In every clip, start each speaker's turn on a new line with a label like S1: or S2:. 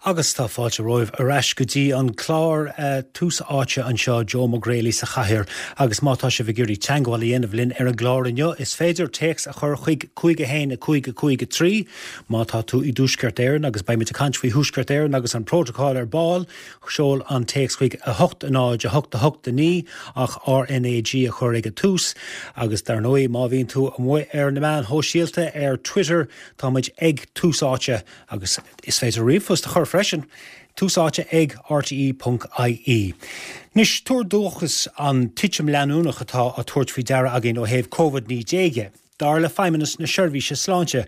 S1: Agus tá fáilte romhaibh ar ais go dtí an clár Tús Áite anseo, Joe Mac Grealy sa chathaoir agus má tá sibh ag iarraidh teagmháil a dhéanamh linn ar an gclár inniu is féidir téacs a chur chuig 5 1 5 5 3 má tá tú i dTuaisceart Éireann agus beimid ag caint faoi Thuaisceart Éireann agus an prótacál ar ball, seol an téacs chuig 8 0 8 8 9 ach RNAG a chur ag an tús agus dar ndóigh má bhíonn tú amuigh ar na meáin shóisialta ar Twitter tá muid ag Tús Áite Agus is féidir ríomhphost a chur freisin, tús áite ag rte.ie. Anois, tuar dóchais an titim leanúnach atá á tabhairt faoi deara againn ó thaobh Covid-19 dhe, dar le Feidhmeannas na Seirbhíse Sláinte,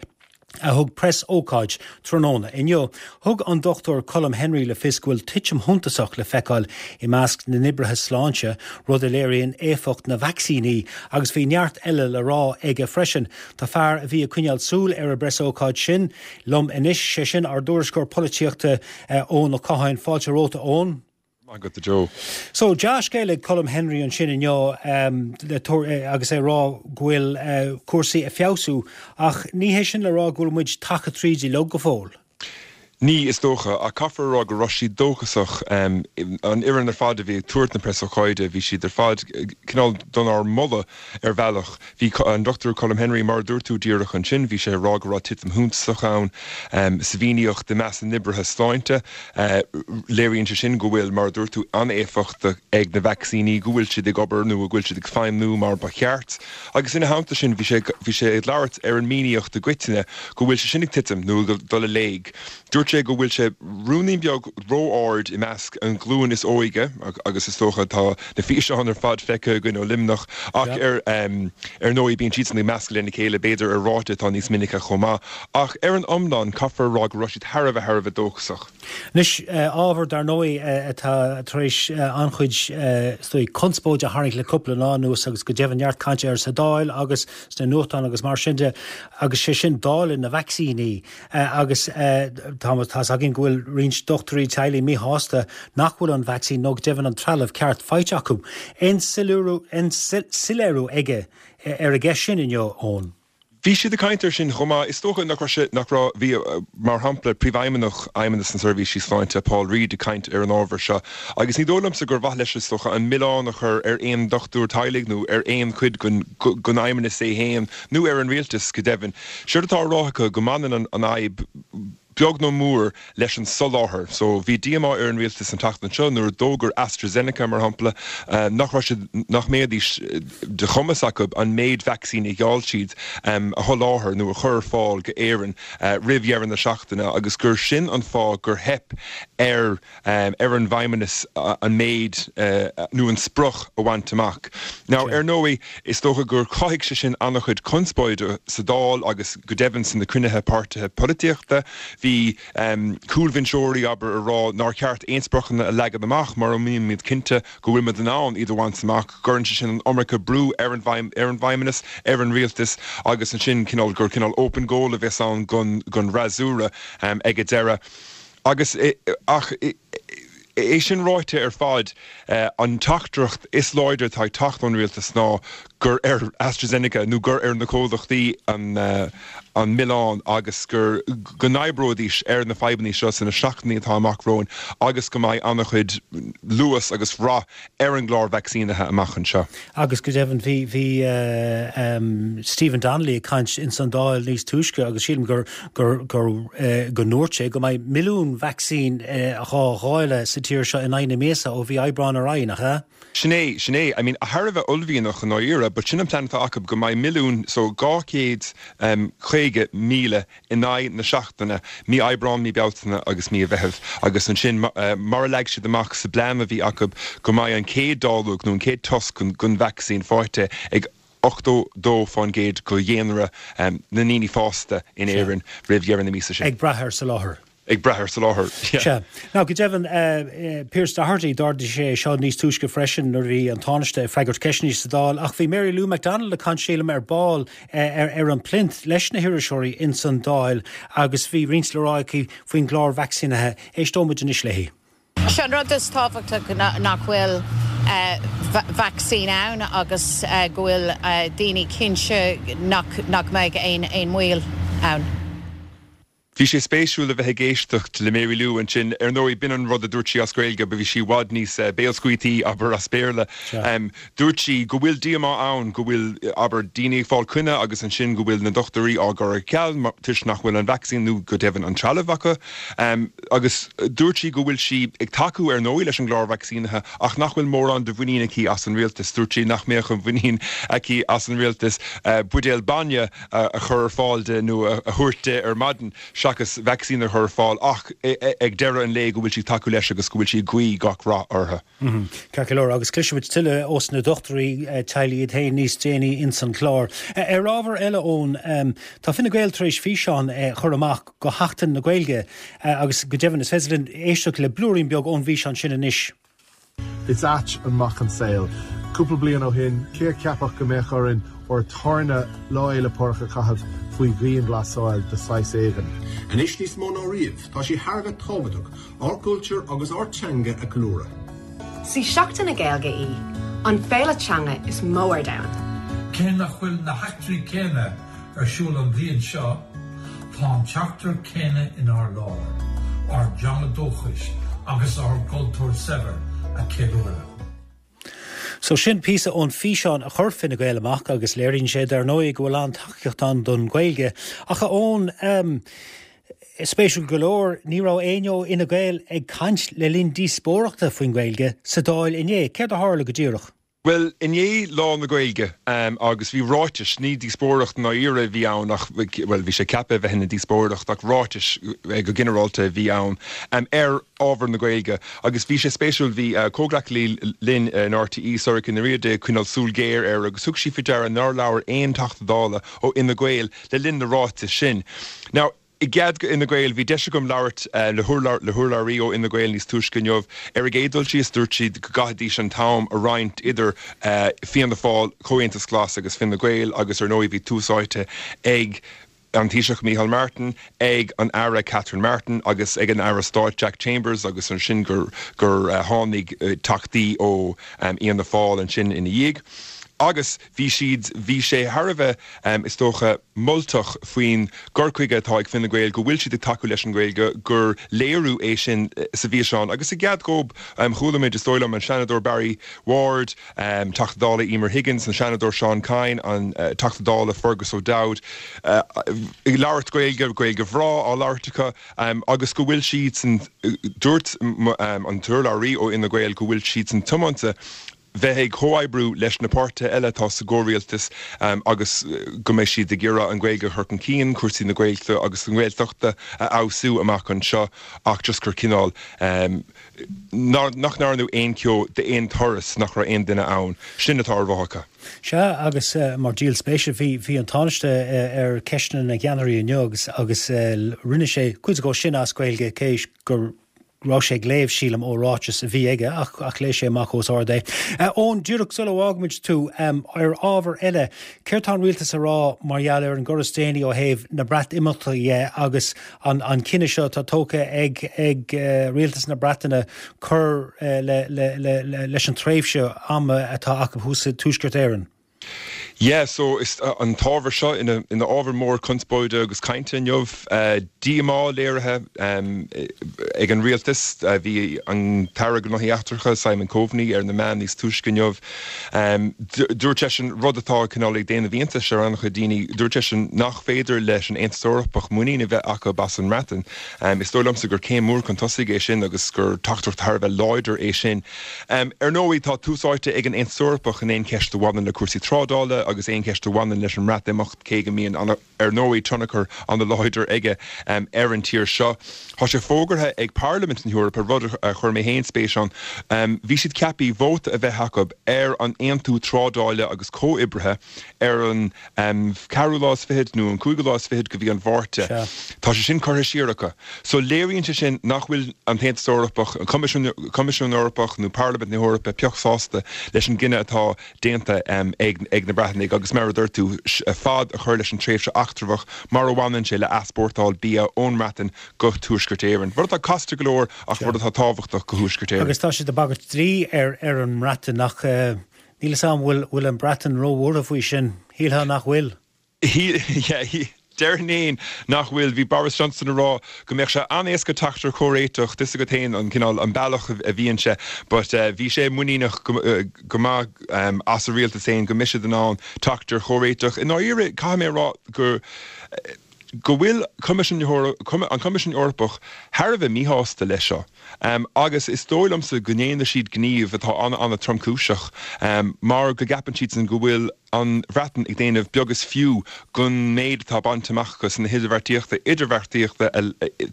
S1: a thug preas-ócáid tráthnóna inniu. Thug an Dr Colm Henry le fios go bhfuil titim shuntasach le feiceáil i measc na n-oibrithe sláinte, rud a léiríonn éifeacht na vacsaíní, agus bhí neart eile le rá aige freisin. Tá fear a bhí ag coinneáil súil ar an bpreasócáid sin liom anois, sé sin ár dtuairisceoir polaitíochta Eoin Ó Catháin. Fáilte romhat a Eoin.
S2: Maith agat a Joe.
S1: So, dea-scéal ag Colm Henry ansin inniu agus é ag rá go bhfuil cúrsaí ag feabhsú ach ní hé sin le rá go bhfuil muid tagtha tríd uilig go fóill.
S2: Ní, is dócha, ach caithfear a rá go raibh siad dóchasach. An fhoireann ar fad a bhí ag tabhairt na preasócáide, bhí siad ar fad cineál donár moladh ar bhealach. Bhí an Dr Colm Henry, mar a dúirt tú díreach ansin, bhí sé ag rá go raibh titim shuntasach ann sa mhíníocht i measc na n-oibrithe sláinte. Léiríonn sé sin go bhfuil, mar a dúirt tú, an-éifeacht ag na vacsaíní, go bhfuil siad ag obair nó go bhfuil siad ag feidhmniú mar ba cheart. Agus ina theannta sin, bhí sé, bhí sé ag labhairt ar an míníocht i gcoitinne, go bhfuil sé sin ag titim, nó ag dul i léig. Dúirt sé go bhfuil sé ruainnín beag ró-ard i measc an ghlúin is óige, agus is dócha tá na físeáin ar fad feicthe againn ó Luimneach, ach ar, ar ndóigh bíonn siadsan ag meascadh lena chéile, b'fhéidir ar ráta atá níos minice chomh maith. Ach ar an iomlán, caithfear a rá go raibh siad thar a bheith, thar a bheith dóchasach.
S1: Anois, ábhar, dar ndóigh, atá tar éis an-chuid, is dóigh, conspóide a tharraingt le cúpla lá anuas agus go deimhin neart cainte air sa Dáil agus sna nuachtáin agus mar sin de, agus sé sin dáileadh na vacsaíní. Agus tá tá's againn go bhfuil roinnt dochtúirí teaghlaigh míshásta nach bhfuil an vacsaín nó go deimhin an trealamh ceart faighte acu. Aon soiléiriú aige ar an gceist sin inniu, Eoin?
S2: Bhí siad ag caint air sin chomh maith. Is dócha nach raibh sé, nach raibh, bhí, mar shampla, Príomhfheidhmeannach Fheidhmeannas na Seirbhísí Sláinte, Paul Reid, ag caint ar an ábhar seo agus ní dóigh liomsa gur mhaith leis, is dócha, an milleán a chur ar aon dochtúir teaghlaigh nó ar aon chuid den fheidhmeannas é féin nó ar an rialtas, go deimhin. Séard atá á rá acu, go mbaineann an fhadhb, beag nó mór, leis an soláthar. So, bhí díomá ar an rialtas an tseachtain seo nuair a d'fhógair AstraZeneca, mar shampla, nach raibh siad, nach mbeidís de chumas acu an méid vacsaín a gheall siad a sholáthar nó a chur ar fáil go Éirinn roimh dheireadh na seachtaine agus gur sin an fáth gur theip ar ar an bhFeidhmeannas an méid nó an sprioc a bhaint amach. Now, ar ndóigh, is dócha gur chothaigh sé sin an-chuid conspóide sa Dáil agus go deimhin sna cruinnithe páirtithe polaitíochta. Bhí cúlbhinseoirí, abair, ag rá nár cheart aon spriocanna a leagan amach mura mbímid cinnte go bhfuil muid in ann iad a bhaint amach, go gcuireann sé sin an iomarca brú ar an bhFeidhmeannas, ar an rialtas agus ansin cineál gur cineál open goal a bheas ann don fhreasúra ag an deireadh. Agus, ach é sin ráite ar fad, an teachtaireacht is láidre atá ag teacht ón rialtas ná gur ar AstraZeneca nó gur ar na comhlachtaí an milleán agus gur, go n-oibreoidís ar na fadhbanna seo sna seachtainí atá amach romhainn agus go mbeidh an-chuid luas agus rath ar an gclár vacsaínithe amach anseo.
S1: Agus go deimhin bhí, bhí Stephen Donnelly ag caint ins an Dáil níos túisce agus sílim gur, gur, gur, go ndúirt sé go mbeidh milliún vacsaín dhá dháileadh sa tír seo in aghaidh na míosa ó mhí Aibreáin ar aghaidh, nach ea?
S2: Sin é, sin é. I mean, thar a bheith uaillmhianach i ndáiríre, but sin an plean atá acu, go mbeidh milliún, so 250,000 in aghaidh na seachtaine, mí Aibreáin, mí Bealtaine agus mí Mheithimh, agus ansin, mar a leag siad amach sa bplean a bhí acu, go mbeidh an chéad dáileog nó an chéad tost den vacsaín faighte ag 82% de dhaonra na ndaoine fásta in Éirinn roimh dheireadh na míosa sin.
S1: Ag brath ar soláthar.
S2: Ag brath ar soláthar,
S1: yeah. Sea. Now, go deimhin, Pearse Doherty, d'ardaigh sé é seo níos túisce freisin nuair a bhí an Tánaiste ag freagairt ceisteanna sa Dáil, ach bhí Mary Lou McDonald ag caint, sílim, ar ball ar an plinth leis na hiriseoirí ins an Dáil agus bhí roinnt le rá aici faoin gclár vacsaínithe. Éisteoidh muid anois léi.
S3: Sé an rud is tábhachtach nach bhfuil vacsaín ann agus go bhfuil daoine cinnte nach mbeidh aon mhoill ann.
S2: Bhí sé spéisiúil a bheith ag éisteacht le Mary Lou ansin. Ar ndóigh, b'in an rud a dúirt sí as Gaeilge, but bhí sí i bhfad níos béalscaoiltí, abair, as Béarla. Dúirt sí go bhfuil díomá ann go bhfuil, abair, daoine ag fáil coinne agus ansin go bhfuil na dochtúirí á gcur ar ceal toisc nach bhfuil an vacsaín nó go deimhin an trealamh acu. Agus dúirt sí go bhfuil sí ag tacú, ar ndóigh, leis an gclár vacsaínithe ach nach bhfuil mórán de mhuinín aici as an rialtas. Dúirt sí nach mbeadh an mhuinín aici as an rialtas buidéal bainne a chur ar fáil di nó a thabhairt di ar maidin seachas vacsaín a chur ar fáil ach ag deireadh an lae go bhfuil sí ag tacú leis agus go bhfuil sí ag guí gach rath orthu.
S1: Ceart go leor, agus cloisfimid tuilleadh ós na dochtúirí teaghlaigh iad féin níos déanaí ins an chlár. Ar ábhar eile, Eoin, tá Fine Gael tar éis físeán a chur amach go Sheachtain na Gaeilge agus go deimhin is féidir linn éisteacht le blúirín beag ón bhfíseán sin anois.
S4: Is ait an mac an saol. Cúpla bliain ó shin, cé a cheapfadh go mbeadh orainn ár dtarna Lá Fhéile Pádraig a chaitheamh faoi dhianghlasáil de shaghas éigin?
S5: Anois níos mó ná riamh, tá sé thar a bheith tábhachtach ár gcultúr agus ár teanga a cheiliúradh.
S6: 'Sí Seachtain na Gaeilge í, an féile teanga is mó ar domhan.
S7: Cé nach bhfuil na heachtraí céanna ar siúl an bhliain seo, tá an teachtaireacht céanna inár lár, ár dteanga dúchais agus ár gcultúr saibhir a cheiliúradh.
S1: So sin píosa ón físeán a chuir Fine Gael amach agus léiríonn sé dar ndóigh go bhfuil an-tacaíocht ann don Ghaeilge. Ach a Eoin, ehm, spéisiúil go leor, ní raibh éinne ó Fhine Gael ag caint le linn díospóireachta faoin Ghaeilge sa Dáil inné. Céard a tharla go díreach?
S2: Bhuel, inné Lá na Gaeilge agus bhí ráitis, ní díospóireacht i ndáiríre a bhí ann ach, bhuel, bhí sé ceaptha a bheith ina díospóireacht ach ráitis go ginearálta a bhí ann ar ábhar na Gaeilge agus bhí sé spéisiúil, bhí comhghleacaí linn in RTÉ, Sorcha Ní Riada, ag coinneáil súil ghéar air agus thug sí faoi deara nár labhair aon Teachta Dála ó Fhine Gael le linn na ráiteas sin. Now, I gcead go Fhine Gael, bhí deis agam labhairt le hurlabhraí ó Fhine Gael níos túisce inniu. Ar an gcéad dul síos, dúirt siad go gcaithfidís an t-am a roinnt idir Fianna Fáil, Comhaontas Glas agus Fine Gael agus ar ndóigh bhí tús áite ag an Taoiseach Micheál Martin, ag an Aire Catherine Martin agus ag an Aire Stáit Jack Chambers agus ansin gur tháinig teachtaí ó Fhianna Fáil ansin ina dhiaidh. Agus bhí siad, bhí sé thar a bheith, is dócha, moltach faoin gcur chuige atá ag Fine Gael, go bhfuil siad ag tacú leis an Ghaeilge, gur léiriú é sin sa bhfíseán. Agus i gcead dhób, chuala muid, is dóigh liom, an Seanadóir Barry Ward, Teachta Dála Emer Higgins, an Seanadóir Seán Kyne, an Teachta Dála Fergus O'Dowd, ag labhairt Gaeilge, Gaeilge bhreá á labhairt acu, agus go bhfuil siadsan, dúirt an t-urlabhraí ó Fhine Gael go bhfuil siadsan tiomanta bheith ag comhoibriú leis na páirtithe eile atá sa gcomhrialtas agus go mbeidh siad ag iarraidh an Ghaeilge a chur chun cinn, cúrsaí na Gaeilge agus na Gaeltachta a fheabhsú amach anseo ach just gur cineál nach ndearnadh aon cheo d'aon turas, nach raibh aon duine ann. Sin atá ar rá acu.
S1: Sea, agus mar díol spéise, bhí bhí an Tánaiste ar Ceisteanna na gCeannairí inniu agus agus rinne sé cuid dhó sin as Gaeilge cé gur raibh sé ag léamh, sílim, ó ráiteas a bhí aige, ach ach léigh sé amach os ard é. Eoin, díreach sula bhfágfaimid tú, ar ábhar eile, céard tá an rialtas a rá mar gheall ar an gcor is déanaí ó thaobh na Breatimeachta dhe agus an an cinneadh seo atá tógtha ag ag rialtas na Breataine cur le le le leis an tréimhse ama atá acu thuas i dTuaisceart Éireann?
S2: Yeah, so is an t-ábhar seo ina ina ábhar mór conspóide agus cainte inniu. Díomá léirithe ag an rialtas. Bhí an tAire Gnóthaí Eachtracha, Simon Coveney, ar na meáin níos túisce inniu. Dúirt seisean rud atá cineál ag déanamh iontais ar an-chuid daoine, dúirt seisean nach féidir leis an Aontas Eorpach muinín a bheith acu as an mBreatain. Is dóigh liomsa gur céim mhór chun tosaigh é sin agus gur teachtaireacht thar a bheith láidir é sin. Ar ndóigh, tá tús áite ag an Aontas Eorpach in aon cheist a bhaineann le cúrsaí trádála agus aon cheist a bhaineann leis an mBreatimeacht, cé go mbíonn, ar ndóigh, tionchar an-láidir aige ar an tír seo. Tá sé fógartha ag Parlaimint na hEorpa, rud a chuir mé féin spéis ann, bhí siad ceaptha vóta a bheith acu ar an aontú trádála agus comhoibrithe ar an ceathrú lá is fichead nó an cúigiú lá is fichead de mhí an Mhárta. Tá sé sin curtha siar acu. So léiríonn sé sin nach bhfuil an tAontas Eorpach, an Coimisiún Eorpach nó Parlaimint na hEorpa pioc sásta leis an gcinneadh atá déanta ag na Breatanaigh agus mar a dúirt tú, fad a chur leis an tréimhse eachtrach mar a bhaineann sé le easpórtáil bia ón mBreatain go Tuaisceart Éireann. Rud atá casta go leor ach rud atá tábhachtach go Thuaisceart Éireann.
S1: Agus tá siad ag bagairt dlí ar an mBreatain ach níl 'fhios a'm bhfuil an Bhreatain róbhuartha faoi sin. Shílfeá nach bhfuil.
S2: Yeah. Déarfainn fhéin nach bhfuil. Bhí Boris Johnson ag rá go mbeadh sé an-éasca teacht ar chomhréiteach, tá 'fhios agat fhéin an cineál, an bealach a bhíonn sé, but bhí sé muiníneach go maith as a rialtas fhéin go mbeidh siad in ann teacht ar chomhréiteach. I ndáiríre, caithfidh mé a rá go go bhfuil Coimisiún an Coimisiún Eorpach thar a bheith míshásta leis seo agus is dóigh liomsa go ndéanfaidh siad gníomh atá an-an-tromchúiseach mar go gceapann siadsan go bhfuil an Bhreatain ag déanamh beag is fiú den méid atá bainte amach acu sna hidirbheartaíochta idirbheartaíochta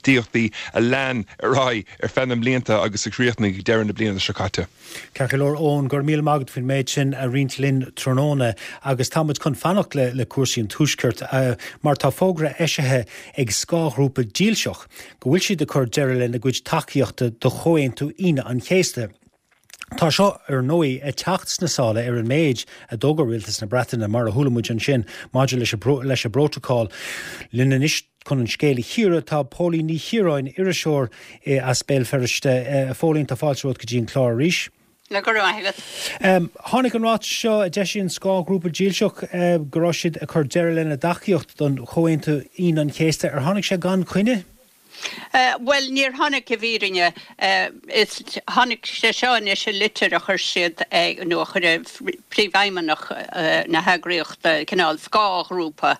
S2: tíochtaí a lean ar aghaidh ar feadh na mblianta agus a chríochnaigh ag deireadh na bliana seo caite.
S1: Ceart go leor, Eoin, go raibh míle maith agat faoin méid sin a roinnt linn tráthnóna agus tá muid chun fanacht le cúrsaí an Tuaiscirt mar tá fógra eisithe ag scáthghrúpa dílseach go bhfuil siad ag cur deireadh lena gcuid tacaíochta do Chomhaontú Aoine an Chéasta. Tá seo, ar ndóigh, ag teacht sna sála ar an méid a d'fhógair Rialtas na Breataine, mar a chuala muid ansin, maidir leis an bprótacál. Linn anois chun an scéal a chíoradh tá Póilín Ní Chiaráin, iriseoir as Béal Feirste. A Phóilín, tá fáilte romhat go dtí an clár arís.
S8: Go raibh maith
S1: agat. Tháinig an ráiteas seo a d'eisigh an scáthghrúpa dílseach go raibh siad ag cur deireadh lena dtacaíocht don Chomhaontú Aoine an Chéasta. Ar tháinig sé gan choinne?
S8: Bhuel, níor tháinig i bhfírinne. Is, tháinig sé seo anois i litir a chuir siad, nó a chuir príomhfheidhmeannach na heagraíochta, cineál scáthghrúpa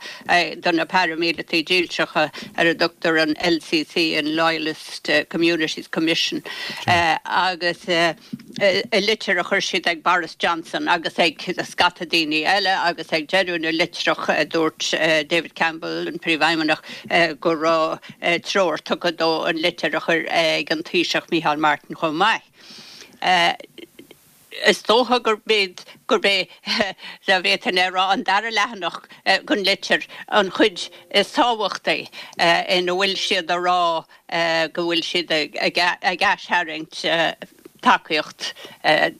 S8: do na paraimíleataigh dílseacha ar a dtugtar an LCC, an Loyalist Communities Commission, agus i litir a chuir siad ag Boris Johnson agus ag scata daoine eile agus ag deireadh na litreach dúirt David Campbell, an príomhfheidhmeannach, go raibh treoir tugtha dó an litir a chur ag an Taoiseach Micheál Martin chomh maith. Is dócha gurb gurb é, dá bhféadfainn é a rá, an dara leathanach den litir an chuid is tábhachtaí ina bhfuil siad a rá go bhfuil siad ag aistharraingt tacaíocht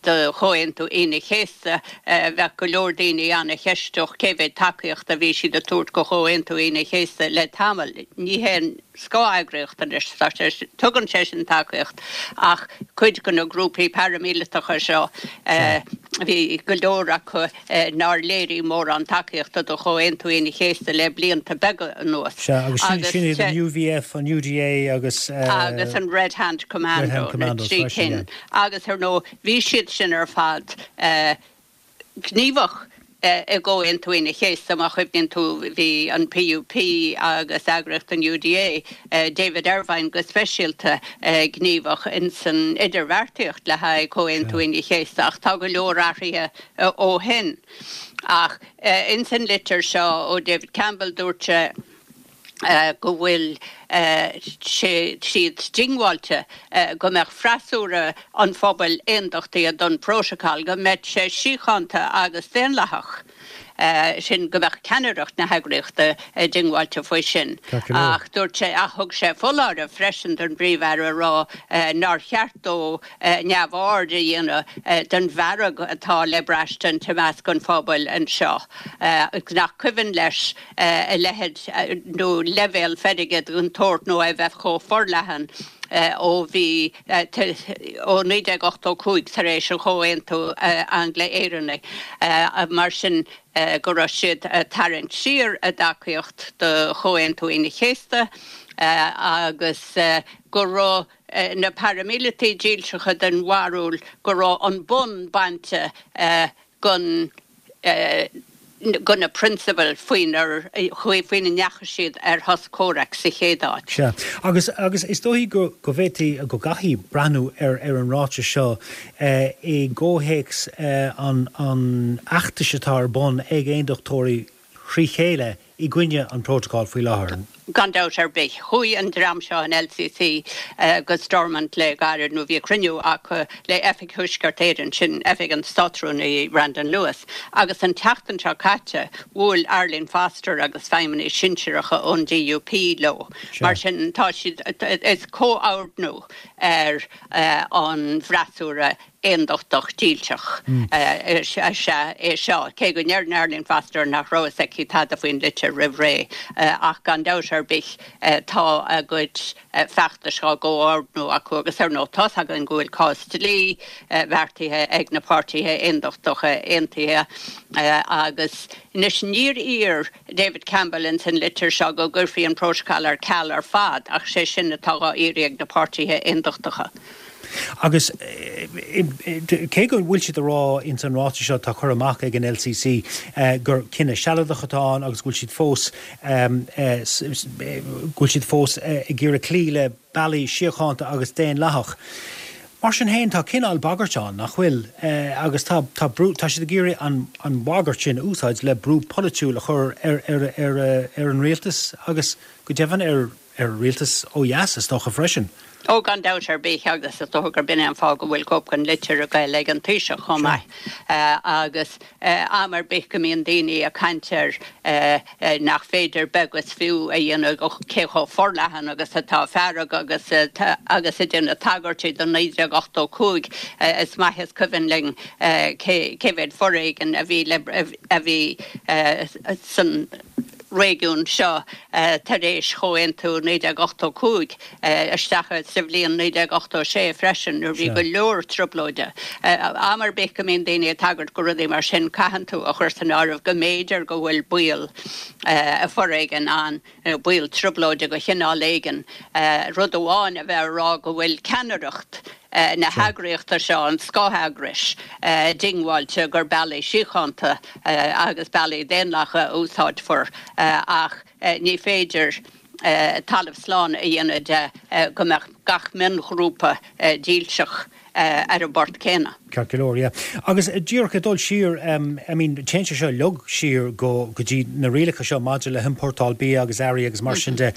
S8: do Chomhaontú Aoine an Chéasta. Bheadh go leor daoine ana-cheisteach cé mhéad tacaíocht a bhí siad ag tabhairt do Chomhaontú Aoine an Chéasta le tamall. Ní haon scáth-eagraíocht anois, tá sé, tugann sé sin tacaíocht ach cuid de na grúpaí paraimíleatacha seo, bhí go leor acu nár léirigh mórán tacaíochta do Chomhaontú Aoine an Chéasta le blianta beaga anuas.
S1: Sea, agus sin iad an UVF, an UDA agus.
S8: Agus an Red Hand Commando, na trí cinn. Agus ar ndóigh, bhí siad sin ar fad gníomhach i gComhaontú Aoine an Chéasta, má chuimhníonn tú, bhí an PUP agus eagraíocht an UDA, David Ervine go speisialta, gníomhach ins an idirbheartaíocht le haghaidh Comhaontú Aoine an Chéasta ach tá go leor athraithe ó shin. Ach ins an litir seo ó David Campbell dúirt sé go bhfuil sé siad diongbháilte go mbeadh freasúra an phobail aondachtaithe don Protocol, go mbeadh sé síochánta agus daonlathach. Sin go mbeadh ceannaireacht na heagraíochta diongbháilte faoi sin. Ach dúirt sé, ach thug sé foláireamh freisin don bPríomh-Aire a rá nár cheart dó neamhaird a dhéanamh den bhfearg atá le braistint i measc an phobail anseo, nach cuimhin leis a leithéid nó leibhéal feirge den tsórt nó é bheith chomh forleathan ó bhí ó 1985 tar éis an Chomhaontú Angla-Éireannaigh. Mar sin go raibh siad ag tarraingt siar a dtacaíocht do Chomhaontú Aoine an Chéasta agus go raibh na paraimíleataigh dílseacha den bharúil go raibh an bonn bainte den de na prionsabail faoinar faoina ndeachaigh siad ar shos comhraic sa chéad áit.
S1: Sea. Agus agus is dóichí go go bhféadfaí go gcaithfí breathnú ar ar an ráiteas seo i gcomhthéacs an an fheachtais atá ar bun ag aondachtóirí thrí chéile i gcoinne an Protocol faoi láthair.
S8: Gan dabht ar bith. Chuaigh an dream seo, an LCC, go Stormont le gairid, nó bhí cruinniú acu le Oifig Thuaisceart Éireann, sin oifig an Státrúnaí Brandon Lewis, agus an tseachtain seo caite bhuail Arlene Foster agus feidhmeannaigh sinsearacha ón DUP leo. Mar sin tá siad, is comhordnú ar an bhfreasúra aondachtach dílseach is ea é seo, cé go ndeireann Arlene Foster nach raibh fhios aici tada faoin litir roimh ré, ach gan dabht. ar bith tá a gcuid feachtais á gcomhordnú acu agus ar ndóigh tá's againn go bhfuil cás dlí beartaithe ag na páirtithe aondachtacha aontaithe agus anois níor iarr David Campbell ins an litir seo go gcuirfí an prótacal ar ceal ar fad ach sé sin atá dhá iarraidh ag na páirtithe aondachtacha.
S1: Agus cé go bhfuil siad ag rá ins an ráiteas seo atá curtha amach ag an LCC gur cinneadh sealadach atá ann agus go bhfuil siad fós go bhfuil siad fós ag iarraidh cloí le bealaí síochánta agus daonlathach. Mar sin féin, tá cineál bagairt ann, nach bhfuil? Agus tá tá brú, tá siad ag iarraidh an an bhagairt sin a úsáid le brú polaitiúil a chur ar ar ar ar an rialtas agus go deimhin ar ar rialtas ó dheas, is dócha, freisin.
S8: Ó, gan dabht ar bith, agus is dócha gurb in é an fáth go bhfuil cóip den litir ag goil ag an Taoiseach chomh maith. Agus am ar bith go mbíonn daoine ag caint ar nach féidir beag is fiú a dhéanamh cé chomh forleathan agus atá fearg agus agus ag déanamh tagairtí do 1985, is maith is cuimhin linn cé mhéad foréigean a bhí le a bhí san réigiún seo tar éis Chomhaontú 1985, isteach sa bhliain 1986 freisin, nuair a bhí go leor trioblóide. Am ar bith go mbíonn daoine ag tagairt go rudaí mar sin, caitheann tú a chur san áireamh go mb'fhéidir go bhfuil baol foréigin ann, nó baol trioblóide de chineál éigin. Rud amháin a bheith ag rá go bhfuil ceannaireacht na heagraíochta seo, an scátheagrais, diongbháilte gur bealaí síochánta agus bealaí daonlathacha a úsáidfear ach ní féidir talamh slán a dhéanamh de go mbeadh gach mionghrúpa dílseach ar an bport céanna.
S1: Ceart go leor, yeah. Agus díreach ag dul siar, I mean, téann sé seo uilig siar go go dtí na rialacha seo maidir le hiompórtáil bia agus earraí agus mar sin de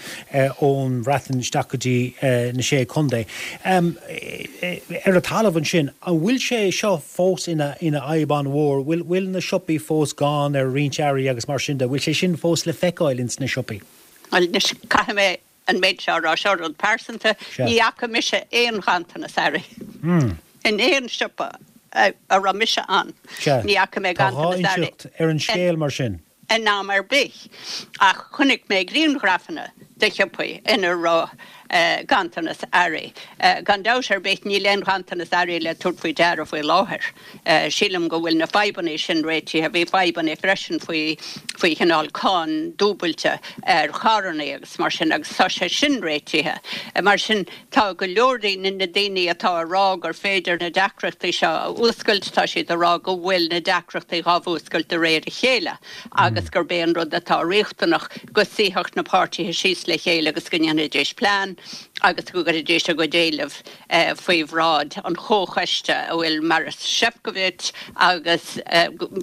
S1: ón Bhreatain isteach go dtí na Sé Contae. Ar an talamh ansin, an bhfuil sé seo fós ina ina fhadhb an-mhór? Bhfuil bhfuil na siopaí fós gann ar roinnt earraí agus mar sin de? Bhfuil sé sin fós le feiceáil ins na siopaí?
S8: Bhuel, anois, caithfidh mé an méid seo a rá, seo rud pearsanta, ní fhaca mise aon ghanntanas earraí in aon siopa a raibh mise ann. Ní fhaca mé
S1: ganntanas earraí. Tá dhá inseacht ar an scéal mar sin.
S8: in am ar bith ach chonaic mé grianghrafanna de shiopaí ina raibh ganntanas earraí. Gan dabht ar bith níl aon ghanntanas earraí le tabhairt faoi deara faoi láthair. Sílim go bhfuil na fadhbanna sin réitithe. Bhí fadhbanna freisin faoi faoi chineál cáin dúbailte ar charranna agus mar sin agus tá sé sin réitithe. Mar sin tá go leor de na daoine atá ag rá gur féidir na deacrachtaí seo a fhuascailt, tá siad ag rá go bhfuil na deacrachtaí dhá bhfuascailt de réir a chéile agus gurb é an rud atá riachtanach go suífeadh na páirtithe síos le chéile agus go ndéanfaidís plean agus go gcuirfidís a gcuid éileamh faoi bhráid an chomhchoiste a bhfuil Maros Sefcovic agus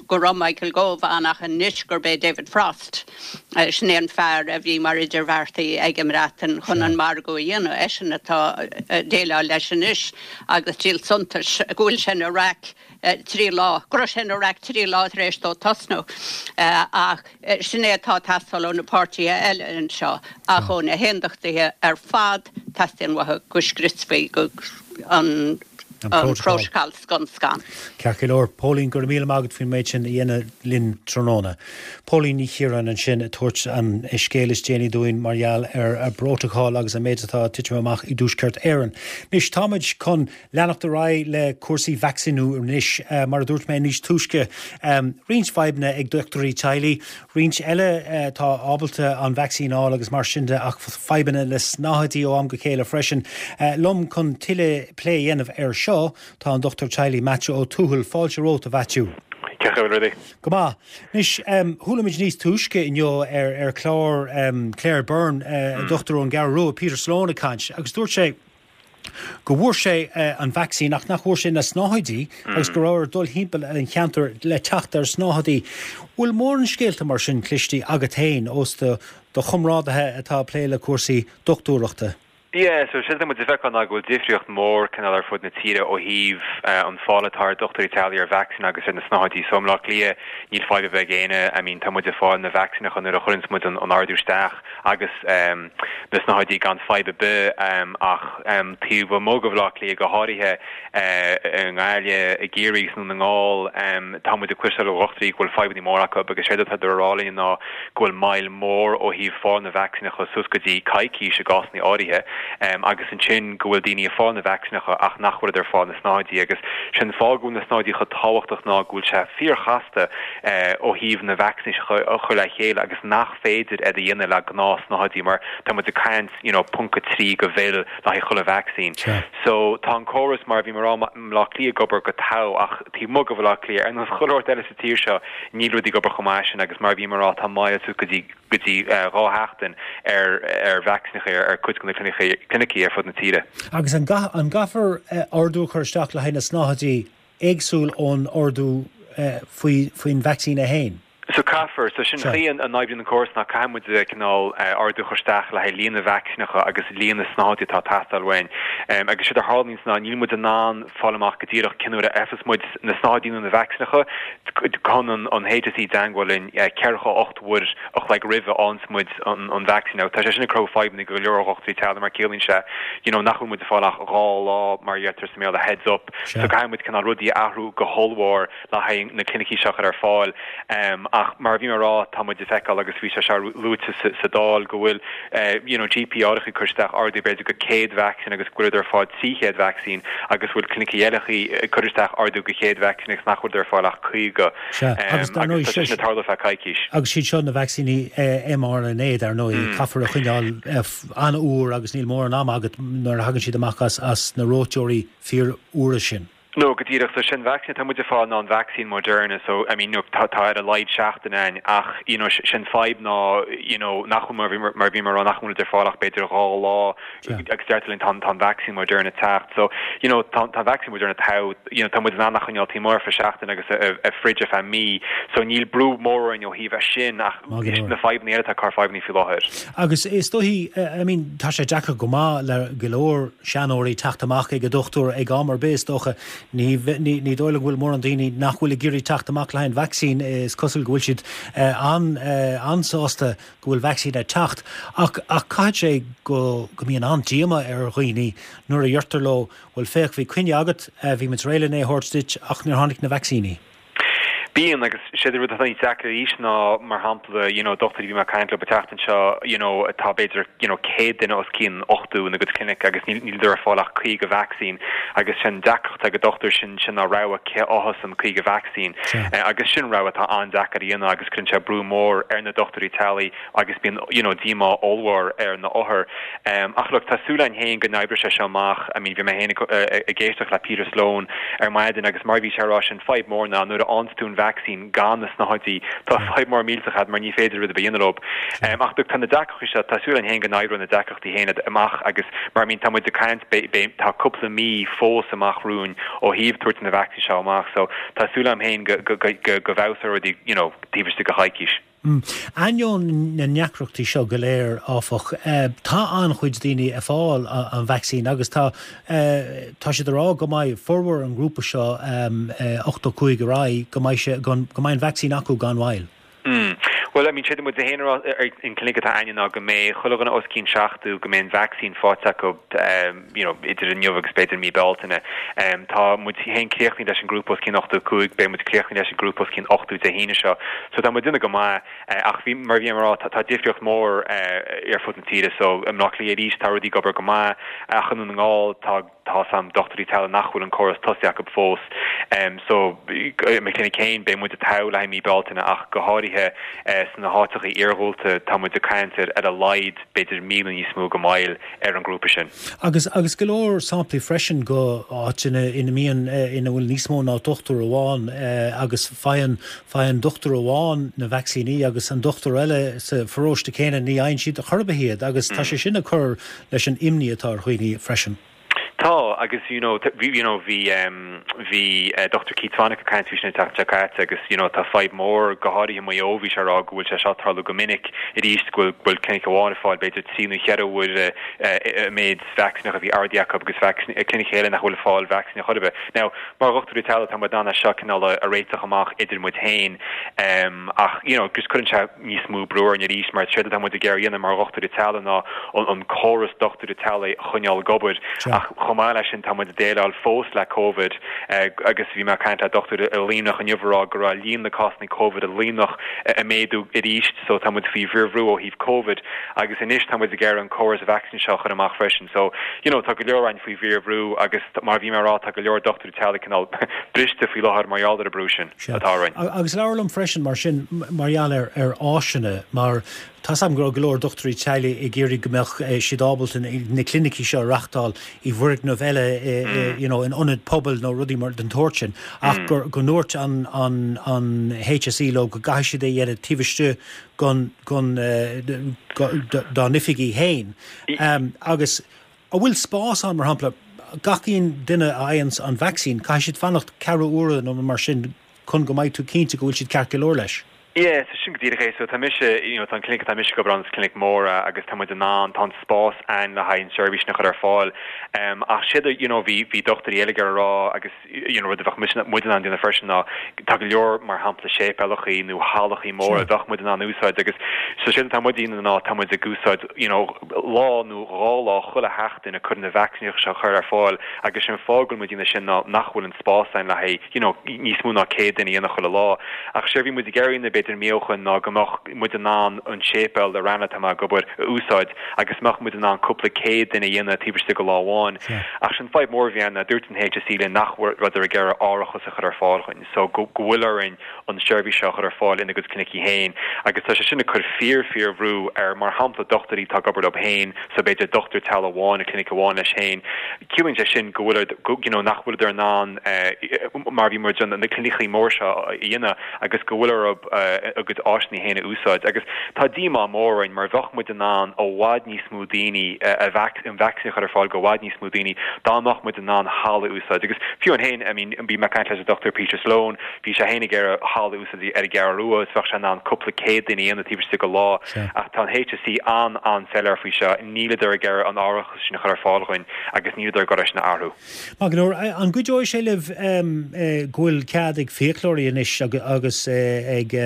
S8: go raibh Michael Gove ann ach anois gurb é David Frost, sin é an fear a bhí mar idirbheartaí ag an mBreatain chun an margadh a dhéanamh, eisean atá ag déileáil leis anois agus díol suntais go bhfuil sé ina raic 3 lá, go raibh sé ina raic 3 lá tar éis dó tosnú ach sin é atá ag teastáil ó na páirtithe eile anseo ach ó na haondachtaithe ar fad teastaíonn uathu go scriosfaí an prótacal scun scan.
S1: Ceart go leor. Póilín, go raibh míle maith agat faoin méid sin a dhéanamh linn tráthnóna. Póilín Ní Chiaráin ansin ag tabhairt an scéal is déanaí dúinn mar gheall ar an bprótacal agus an méid atá ag titim amach i dTuaisceart Éireann. Anois táimid chun Leanacht ar aghaidh le cúrsaí vacsaíniú anois. Mar a dúirt mé níos túisce, roinnt fadhbanna ag dochtúirí teaghlaigh, roinnt eile atá ábalta an vacsaín a fháil agus mar sin de ach fadhbanna le snáthaidí ó am go chéile freisin. Liom chun tuilleadh plé a dhéanamh air seo tá an dochtúir teaghlaigh Maitiú Ó Tuathail. Fáilte romhat, a Mhaitiú.
S9: Cén chaoi a bhfuil rudaí?
S1: Go maith. Anois, chuala muid níos túisce inniu ar chlár Claire Byrne, dochtúir ón gCeathrú Rua, Peter Sloane ag caint agus dúirt sé, go bhfuair sé an vacsaín ach nach bhfuair sé na snáthaidí agus go raibh air dul thimpeall an cheantair le teacht ar snáthaidí. Bhfuil mórán scéalta mar sin cliste agat féin ós do chomrádaithe atá ag plé le cúrsaí dochtúireachta?
S9: Yeah, so séard atá muid ag feiceáil ná go bhfuil difríocht mhór cineál ar fud na tíre ó thaobh an fáil atá ar dochtúirí teaghlaigh ar vacsaín agus ar na snáthaidí. So i mBleá Cliath níl fadhb ar bith ag éinne, I mean tá muid ag fáil na vacsaíneacha nuair a chuireanns muid an ordú isteach agus na snáthaidí gan fadhb ar bith ach taobh amuigh de Bhleá Cliath go háirithe i nGaillimh, i gCiarraí agus i nDún na nGall, tá muid ag cloisteáil ó dhochtúirí go bhfuil fadhbanna móra acu agus séard atá á rá linn ná go bhfuil moill mhór ó thaobh fáil na vacsaíneacha suas go dtí coicís i gcásanna áirithe agus ansin go bhfuil daoine ag fáil na vacsaíneacha ach nach bhfuileadar ag fáil na snáthaidí agus sé'n fáth go bhfuil na snáthaidí chomh tábhachtach ná go bhfuil sé fíorchasta ó thaobh na vacsaíneacha a chur le chéile agus nach féidir iad a dhéanamh le gnáth-snáthaidí mar tá muid ag caint you know ponc 3 de mhil le haghaidh chuile vacsaín. So tá an córas mar a bhí mé a rá i mBleá Cliath ag obair go togha ach taobh amuigh de Bhleá Cliath ar nós chuile shórt eile sa tír seo níl rudaí ag obair chomh maith sin agus mar a bhí mé a rá tá moill suas go dtí go dtí 2 sheachtain ar ar vacsaíneacha ar cuid de na clinicí ar fud na tíre.
S1: Agus an gcaithfear ordú a chur isteach le haghaidh na snáthaidí éagsúil ón ordú faoin vacsaín é féin?
S9: So caithfear. So sin chaoi a n-oibríonn an córas ná caithfidh muid cineál ordú a chur isteach le haghaidh líon na vacsaíneacha agus líon na snáthaidí atá ag teastáil uainn. Agus séard a tharlaíonns ná níl muid in ann fáil amach go díreach cén uair a fhaigheas muid na snáthaidí nó na vacsaíneacha. Téann an HSE i dteangmháil linn 48 uair a chloig roimh a fhaigheanns muid an vacsaín. Tá sé sin ag cruthú fadhbanna go leor dhochtúirí teaghlaigh mar ciallaíonn sé you know nach bhfuil muid ag fáil ach 2 lá mar a deirtear sa mBéarla heads up. So caithfidh muid cineál rudaí a athrú go hollmhór le haghaidh na clinicí seo a chur ar fáil. Ach mar a bhí mé a rá, tá muid ag feiceáil agus bhí sé seo luaite sa Dáil go bhfuil you know GP áirithe ag cur isteach ordú b'fhéidir go 100 vacsaín agus go bhfuileadar ag fáil 300 vacsaín agus go bhfuil clinicí eile ag cur isteach ordú go 100 vacsaín agus nach bhfuileadar ag fáil ach 50.
S1: Sea, agus dar ndóigh
S9: Agus tá sé sin ag tarlú feadh coicís.
S1: Agus siad seo na vacsaíní mRNA dar ndóigh, caithfear a choinneáil an-fhuar agus níl mórán ama agat nuair a thagann siad amach as na reoiteoirí fíorfhuara sin.
S9: No, go díreach. So sin vacsaín atá muid ag fáil ná an vacsaín Moderna. So, I mean, you know, tá, tá ar a laghad seachtain a'ainn ach, you know, sin fadhb ná, you know, nach bhfuil, mar a bhí, mar a bhí mé a rá, nach bhfuil muid ag fáil ach b'fhéidir 2 lá agus deirtear linn tá, tá an vacsaín Moderna ag teacht. So, you know, tá, tá an vacsaín Moderna togha, you know, tá muid in ann a choinneáil taobh amuigh ar feadh seachtain agus i fridge ar feadh mí. So níl brú mór orainn ó thaobh é sin ach na fadhbanna eile atá ag cur fadhbanna faoi láthair.
S1: Agus is dóichí, I mean, tá sé deacair go maith le go leor seanóirí teacht amach ag an dochtúir ag am ar bith, is dócha. Ní, ní dóigh liom go bhfuil mórán daoine nach bhfuil ag iarraidh teacht amach le haghaidh an vacsaín. Is cosúil go bhfuil siad an-sásta go bhfuil vacsaín ag teacht. Ach, ach caithfidh sé go, go mbíonn an-díoma ar dhaoine nuair a deirtear leo, bhuel féach, bhí coinne agat, bhí muid réidh len é a thabhairt duit ach níor tháinig na vacsaíní.
S9: Bíonn, agus séard an rud atá níos deacra arís ná, mar shampla, you know, dochtúirí a bhí mé ag caint leo an tseachtain seo, you know, tá b'fhéidir, you know, 100 duine os cionn 80 ina gcuid clinic agus níl, níleadar ag fáil ach 50 vacsaín agus sin deacracht ag an dochtúir sin, sin ná rogha cé a fhaigheas an 50 vacsaín. Agus sin rogha atá an-deacair a dhéanamh agus cuireann sé brú mór ar na dochtúirí teaghlaigh agus bíonn you know díomá ollmhór ar na othair. Ach look, tá súil againn féin go n-oibreoidh sé seo amach. I mean bhí mé féin ag éisteacht le Peter Sloane ar maidin agus mar a bhí sé a rá sin fadhb mór ná nuair a fhaigheanns tú an vacsaín gan na snáthaidí tá fadhb mór millteach a'd mar ní féidir rud ar bith a dhéanamh leo. Ach look, tá na deacrachtaí seo, tá súil againn féin go n-oibreoidh na deacrachtaí féin amach agus mar I mean tá muid ag caint beidh tá cúpla mí fós amach romhainn ó thaobh tabhairt na vacsaíní seo amach so tá súil agam féin go go go go bhfeabhsóidh rudaí you know taobh istigh de choicís.
S1: Ainneoin na ndeacrachtaí seo go léir, áfach, tá an-chuid daoine ag fáil an vacsaín agus tá tá siad ag rá go mbeidh formhór an ghrúpa seo 85 ar aghaidh, go mbeidh sé go mbeidh an vacsaín acu gan mhoill.
S9: Bhuel, I mean, séard a muid féin a rá ar an clinic atá a'ainne ná go mbeidh chuile dhuine os cionn 70, go mbeidh an vacsaín faighte acu, you know, idir inniu agus b'fhéidir mí Bealtaine. Tá muid féin críochnaithe leis an grúpa os cionn 85, beidh muid críochnaithe leis an grúpa os cionn 80 Dé hAoine seo. So tá muid ag déanamh go maith, ach bhí, mar a bhí mé a rá, tá difríocht mhór ar fud na tíre. So i mBleá Cliath arís tá rudaí ag obair go maith, ach i nDún na nGall tá tá sam dochtúirí teaghlaigh nach bhfuil an córas tosaithe acu fós. So i mo chlinic féin beidh muid togha le haghaidh mí Bealtaine ach go háirithe sna háiteacha iarghúlta tá muid ag caint ar ar a laghad b'fhéidir mí nó níos mó de mhoill ar an ngrúpa sin.
S1: Agus agus go leor samplaí freisin de áiteanna ina mbíonn, ina bhfuil níos mó ná dochtúir amháin agus faigheann, faigheann dochtúir amháin na vacsaíní agus an dochtúir eile sa pharóiste céanna ní fhaigheann siad chor ar bith iad agus tá sé sin ag cur leis an imní atá ar dhaoine freisin.
S9: Tá, agus you know, bhí, you know, bhí, bhí Dr Keith Swanick ag caint faoi sin an tseachtain seo caite agus you know, tá fadhb mór, go háirithe i Maigh Eo, bhí sé ag rá go bhfuil sé seo ag tarlú go minic arís, go bhfuil, go bhfuil clinic amháin ag fáil b'fhéidir trí nó cheithre huaire an méid vacsaíneacha a bhí ordaithe acu agus clinic eile nach bhfuil ag fáil vacsaíne chor ar bith. Now, mar dhochtúirí teaghlaigh tá muid in ann é seo cineál a réiteach amach idir muid féin ach you know, just cuireann sé níos mó brú orainn arís mar séard atá muid ag iarraidh a dhéanamh mar dhochtúirí teaghlaigh ná an córas dochtúirí teaghlaigh a choinneáil ag obair ach chomh maith leis sin tá muid ag déileáil fós le Covid agus bhí mé ag caint le dochtúir i Luimneach inniu ag rá go raibh líon na cásanna Covid i Luimneach ag méadú arís so tá muid faoi bhfíorbhrú ó thaobh Covid agus anois tá muid ag iarraidh an córas vacsaín seo a chur amach freisin so you know tá go leor orainn faoi bhfíorbhrú agus mar a bhí mé ag rá tá go leor dochtúirí teaghlaigh cineál briste faoi láthair mar gheall ar an brú sin.
S1: atá orainn. Agus labhair liom freisin mar sin mar gheall ar ar áiseanna mar tá's agam go raibh go leor dochtúirí teaghlaigh ag iarraidh go mbeadh siad ábalta na clinicí seo a reachtáil i bhfoirgneamh eile you know in ionad pobail nó rudaí mar den tsórt sin ach gur go ndúirt an an an HSE leo go gcaithfidh siad é a dhéanamh taobh istigh gon gon dá n-oifigí féin agus An bhfuil spás ann, mar shampla, gach aon duine a fhaigheanns an vacsaín, caithfidh siad fanacht ceathrú uaire nó mar sin chun go mbeidh tú cinnte go bhfuil siad ceart go leor leis?
S9: Yeah, so sin go díreach é. So tá mise, you know, tá an clinic atá mise ag obair ann, is clinic mór é agus tá muid in ann, tá an spás ann le haghaidh an seirbhís sin a chur ar fáil. Um, ach séard a, you know, bhí, bhí dochtúirí eile ag iarraidh a rá agus, you know, rud a bheadh muid, muid in ann déanamh freisin ná tá go leor, mar shampla, séipéalachaí nó hallachaí móra a bheadh muid in ann úsáid agus so séard atá muid a dhéanamh ná tá muid ag úsáid, you know, lá nó dhá lá chuile sheachtain ag cur na vacsaíneacha seo a chur ar fáil agus sé an fáth go bhfuil muid ag déanamh sin ná nach bhfuil an spás ann le haghaidh you know níos mó ná 100 duine a dhéanamh chuile lá. Ach séard a bhí muid ag iarraidh a dhéanamh b'fhéidir mí ó shoin ná go mbeadh muid in ann an séipéal i Ranelagh atá mé ag obair a úsáid agus mbeadh muid in ann cúpla céad duine a dhéanamh taobh istigh de lá amháin. Ach sin fadhb mór a bhí ann ná dúirt an HSE linn nach rabhadar ag iarraidh árachas a chur ar fáil dhuinn so go bhfuil orainn an tseirbhís seo a chur ar fáil ina gcuid clinicí féin agus tá sé sin ag cur fíor fíor bhrú ar mar shampla dochtúirí atá ag obair leo féin so b'fhéidir dochtúir teaghlaigh amháin i clinic amháin leis féin ciallaíonn sé sin go bhfuil go you know nach bhfuileadar in ann mar bhí muid na clinicí mór seo a dhéanamh agus go bhfuil orthu a gcuid áiseanna féin a úsáid agus tá díomá mór orainn mar bheadh muid in ann i bhfad níos mó daoine a an vacsaín a chur ar fáil go i bhfad níos mó daoine dá mbeadh muid in ann halla a úsáid agus fiú an féin I mean bhí mé ag caint leis an Dr Peter Sloane Bhí sé féin ag iarraidh halla a úsáid ar an gCeathrú Rua is bheadh sé in ann cúpla céad duine a dhéanamh taobh istigh de lá. Ach tá an HSE an-an-soiléir faoi seo, níleadar ag iarraidh an árachas sin a chur ar fáil dhuinn agus níleadar ag dul é sin a athrú.
S1: Maith go leor. An gcuideoidh sé libh go bhfuil cead ag fiaclóirí anois agus ag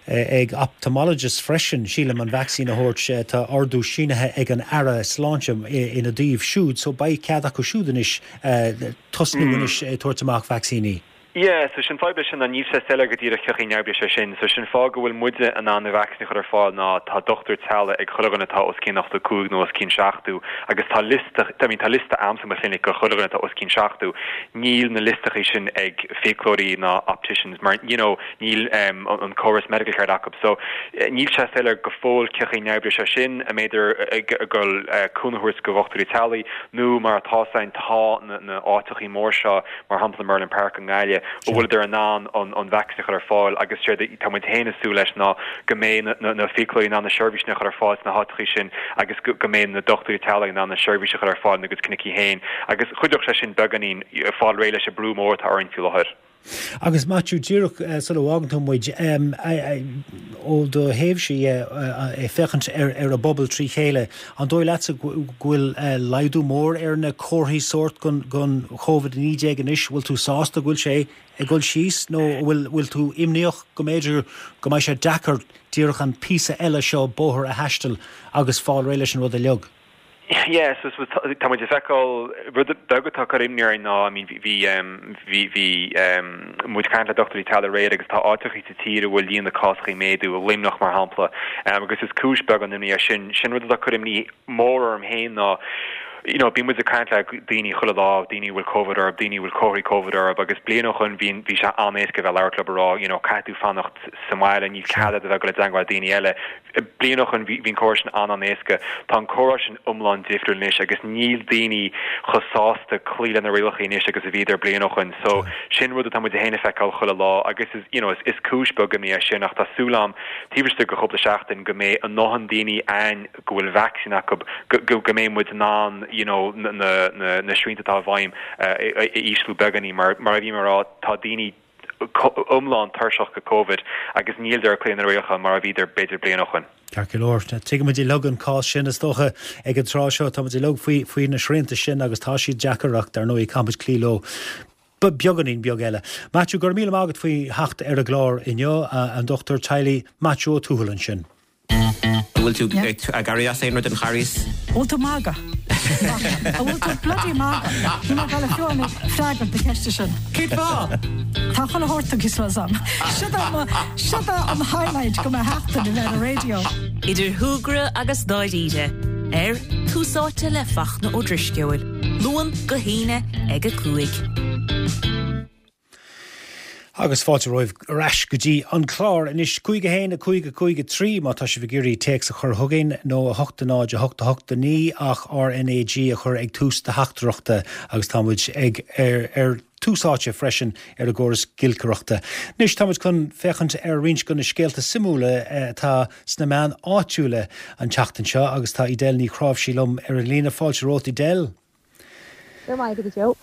S1: ag ophthalmologists freisin, sílim, an vacsaín a thabhairt. Tá ordú sínithe ag an Aire Sláinte ina dtaobh siúd so beidh cead acu siúd anois tosnú anois ag tabhairt amach vacsaíní.
S9: Yeah, so sin fadhb leis sin ná níl sé soiléir go díreach cén chaoi a n-oibreoidh sé sin. So sin fáth go bhfuil muide in ann na vacsaíní a chur ar fáil ná tá dochtúir teaghlaigh ag chuile dhuine atá os cionn 85 nó os cionn 70 agus tá liosta, I mean tá liosta a'msa i mo chlinic go chuile dhuine atá os cionn 70. Níl na liostachaí sin ag fiaclóirí ná opticians mar you know níl um, an córas medical card acu. So níl sé soiléir go fóill cén chaoi a n-oibreoidh sé sin, an mbeidh ag dul cúnamh a thabhairt go dhochtúirí teaghlaigh nó mar atá ann tá na, na áiteachaí mór seo mar shampla Merlin Park i nGaillimh, a bhfuileadar in ann an vacsaín a chur ar fáil agus séard atá muid féin ag súil leis ná go mbeidh na fiaclóirí in ann na seirbhísí sin a chur ar fáil sna háiteachaí sin agus go mbeidh na dochtúirí teaghlaigh in ann na seirbhísí a chur ar fáil ina gcuid clinicí féin agus chuideodh sé sin beagáinín fáil réidh leis an brú mór atá orainn faoi láthair.
S1: Agus Maitiú, díreach sula bhfágann tú muid, ó do thaobhse dhe, ag féachaint ar an bpobal trí chéile, an dóigh leatsa go bhfuil laghdú mór ar na comharthaí sóirt gon Covid-19 anois? Bhfuil tú sásta go bhfuil sé ag dul síos nó bhfuil tú imníoch go mb'fhéidir go mbeidh sé deacair díreach an píosa eile seo bóthair a thaisteal agus fáil réidh leis an rud uilig?
S9: Yeah, so tá muid ag feiceáil, rud beag atá ag cur imní orainn ná, I mean, bhí, bhí, bhí muid ag caint le dochtúirí teaghlaigh aréir agus tá áiteachaí sa tír a bhfuil líon na cásachaí ag méadú, Luimneach mar shampla, agus is cúis beagán imní é sin. Sin rud atá ag cur imní mór orm féin ná, you know, bíonn muid ag caint le daoine chuile lá, daoine a bhfuil Covid orthu, daoine a bhfuil comharthaí Covid orthu agus bliain ó shoin bhí, bhí sé an-éasca a bheith ag labhairt leo ag rá, you know, caithfidh tú fanacht sa mbaile, níl cead agat a bheith ag dul i dteangmháil le daoine eile. Bliain ó shoin bhí an comhrá sin an-an-éasca. Tá an comhrá sin iomlán difriúil anois agus níl daoine chomh sásta cloí le na rialacha anois agus a bhíodar bliain ó shoin. So sin rud atá muid féin ag feiceáil chuile lá agus is, you know, is cúis beag imní é sin ach tá súil a'm taobh istigh de chúpla seachtain go mbeidh a ndóthain daoine a'ainn go bhfuil vacsaín acu go, go, go mbeidh muid in ann. you know na na na srianta atá i bhfeidhm a ísliú beagáinín mar mar a bhí mé a rá tá daoine iomlán tuirseach de Covid agus níl siad ag cloí na rialacha mar a bhíodar b'fhéidir bliain ó shoin.
S1: Ceart go leor. Tuigimid uilig an cás sin, is dócha, ag an tráth seo. Táimid uilig faoi faoi na srianta sin agus tá siad deacair ach dar ndóigh caithfimid cloí leo beagáinín beag eile. Maitiú, go raibh míle maith agat faoi theacht ar an gclár inniu. An Dochtúir Teaghlaigh Maitiú Ó Tuathail ansin.
S10: An bhfuil tú ag éirí as aon rud an Charghas?
S11: An bhfuil tú ag magadh? An bhfuil tú bloody magadh? Níl mé ag dul fiú amháin freagairt na ceiste sin.
S10: Cén fáth?
S11: Tá chuile shórt tugtha suas a'm. Siod é mo, siod é an highlight go mo sheachtain a bheith ar an raidió.
S12: Idir shúgradh agus dáiríre, ar Tús Áite le Fachtna Ó Drisceoil, Luan go hAoine ag 5.
S1: Agus fáilte romhaibh ar ais go dtí an clár anois. 5 1 5 5 3 má tá sibh ag iarraidh téacs a chur chugainn, nó 8 0 8 8 9 ach RNAG a chur ag tús do theachtaireachta agus tá muid ag ar ar Tús Áite freisin ar an gcóras giolcaireachta. Anois tá muid chun féachaint ar roinnt de na scéalta suimiúla atá sna meáin áitiúla an tseachtain seo agus tá Edel Ní Chráimhsí liom ar an líne. Fáilte romhat Edel.
S13: Go raibh maith agat, a Joe.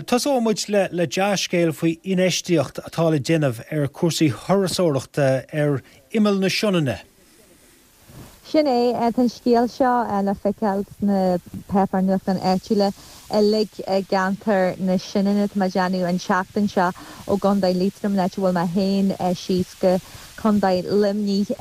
S1: Tosóidh muid le dea-scéal faoi infheistíocht atá le déanamh ar chúrsaí thurasóireachta ar imeall na Sionainne.
S13: Sin é, tá an scéal seo le feiceáil sna páipéir nuachtáin áitiúla uilig i gceantar na Sionainne, tá mé ag déanamh, an tseachtain seo ó gContae Liatroim, an áit a bhfuil mé féin, síos go Contae Luimnigh.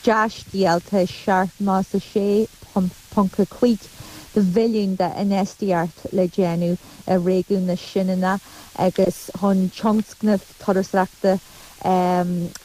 S13: Dea-scéal, tá 76. 0.5 de bhilliún d'infheistíocht le déanamh i réigiún na Sionainne agus chun tionscnamh turasóireachta a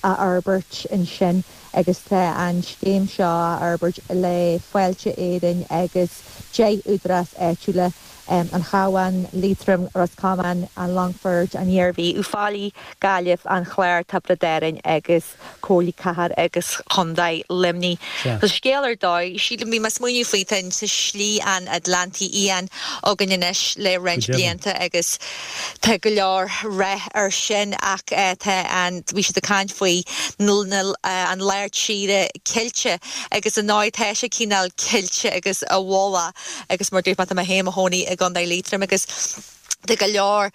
S13: fhorbairt ansin agus tá an scéim seo á fhorbairt le Fáilte Éireann agus 10 údarás áitiúla, an Chabhán, Liatroim, Ros Comáin, an Longfoirt, an Iarmhí, Uíbh Fhailí, Gaillimh, an Clár, Tiobraid Árann agus. Comhairle Cathair agus Chontae Luimnigh. Tá scéal ar dóigh, sílim, bhí mé ag smaoineamh faoi, tá Slí an Atlantaigh Fhiáin againn anois le roinnt blianta agus tá go leor rath air sin ach tá an, bhí siad ag caint faoi an lár tíre cillte agus ar ndóigh tá sé cineál cillte agus i bhfolach agus mar dúirt mé tá mé féin i mo chónaí i gContae Liatroim agus Tá go leor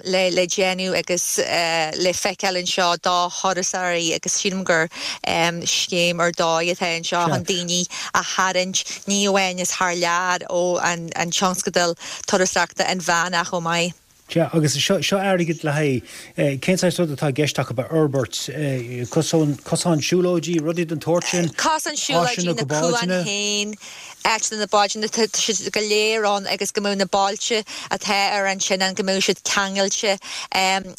S13: le déanamh agus le feiceáil anseo do thurasóirí agus sílim gur scéim ar dóigh atá anseo chun daoine a tharraingt, ní amháin as thar lear, ó an tionscadal turasóireachta inmheánach chomh maith.
S1: Sea, agus seo airgead le haghaidh, cén saghas rud atá i gceist acu a fhorbairt? Cosán siúlóidí, rudaí den tsórt sin?
S13: Cosán siúlóidí, na cuain féin. Áit do na báid, tá siad go léir ann agus go mbeadh na bailte atá ar an tSionainn, go mbeadh siad ceangailte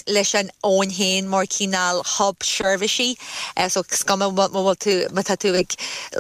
S13: leis an abhainn féin mar cineál hub seirbhísí. So is cuma má bhfuil tú, má tá tú ag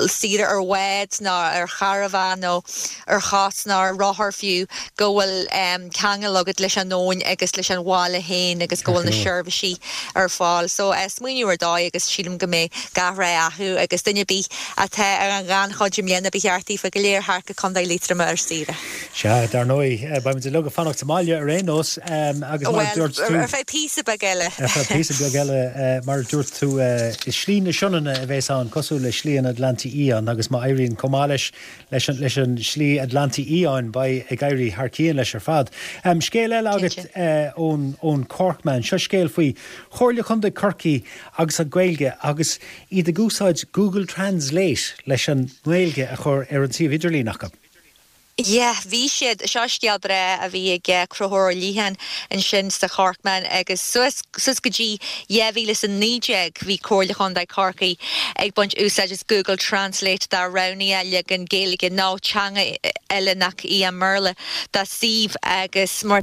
S13: saoire ar bhád nó ar charbhán nó ar chos nó ar rothar fiú, go bhfuil ceangal agat leis an abhainn agus leis an bhaile féin agus go bhfuil na seirbhísí ar fáil. So smaoineamh ar dóigh agus sílim go mbeidh gach rath acu agus duine ar bith atá ar an ghannchuid i mbliana ba cheart daofa go léir theacht go Contae Liatroma ar saoire.
S1: Sea, dar ndóigh, beidh muid uilig ag fanacht sa mbaile ar aon nós agus mar a dúirt tú.
S13: Bhuel, ar feadh píosa beag eile.
S1: Ar feadh píosa beag eile, mar a dúirt tú, is Slí na Sionainne a bheas ann, cosúil le Slí an Atlantaigh Fhiáin agus má éiríonn chomh maith leis, leis an, leis an Slí Atlantaigh Fhiáin, beidh ag éirí thar cionn leis ar fad. Scéal eile agat ón, ón Corkman. Seo scéal faoi Chomhairle Chontae Chorcaí agus an Ghaeilge agus iad ag úsáid Google Translate leis an nGaeilge a chur ar an suíomh idirlín acu.
S13: Yeah, bhí siad, seo scéal breá a bhí ag Conchúr Ó Liatháin ansin sa Chorkman agus suas, suas go dtí 2019 bhí Comhairle Chontae Chorcaí ag baint úsáid as Google Translate dá roghnaíodh leagan Gaeilge nó teanga eile nach í an mBéarla dá suíomh agus mar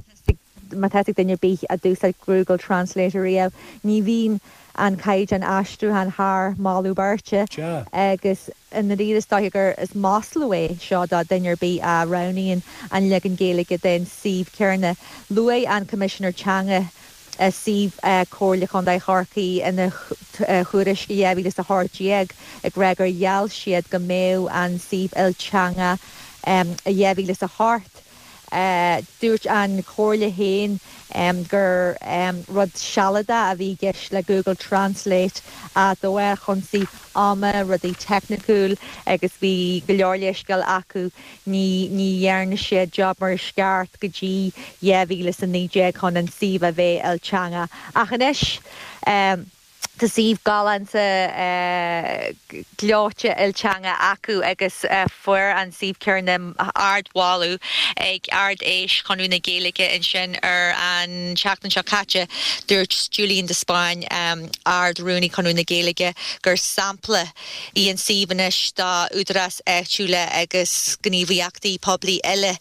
S13: má tá ag duine ar bith a d'úsáid Google Translate ariamh, ní bhíonn an caighdeán aistriúcháin thar moladh beirte agus i ndáiríre is dóiche gur is maslú é seo do dhuine ar bith a roghnaíonn an leagan Gaeilge den suíomh céanna. Luaigh an Coimisinéir Teanga suíomh Chomhairle Chontae Chorcaí ina thuairisc i 2018 ag rá gur gheall siad go mbeadh an suíomh ilteangach i 2008. Dúirt an Chomhairle féin gur rud sealadach a bhí i gceist le Google Translate de bharr cúrsaí ama, rudaí teicniúil agus bhí go leor leithscéal acu. Ní ní dhearna siad job mar is ceart go dtí 2019 chun an suíomh a bheith ilteangach. Ach anois tá suíomh galánta gleoite ilteanga acu agus fuair an suíomh céanna ardmholadh ag Ard-Fheis Chonradh na Gaeilge ansin ar an tseachtain seo caite. Dúirt Julian de Spáinn, Ard-Rúnaí Chonradh na Gaeilge, gur sampla í an suíomh anois d'údaráis áitiúla agus gníomhaíochtaí poiblí eile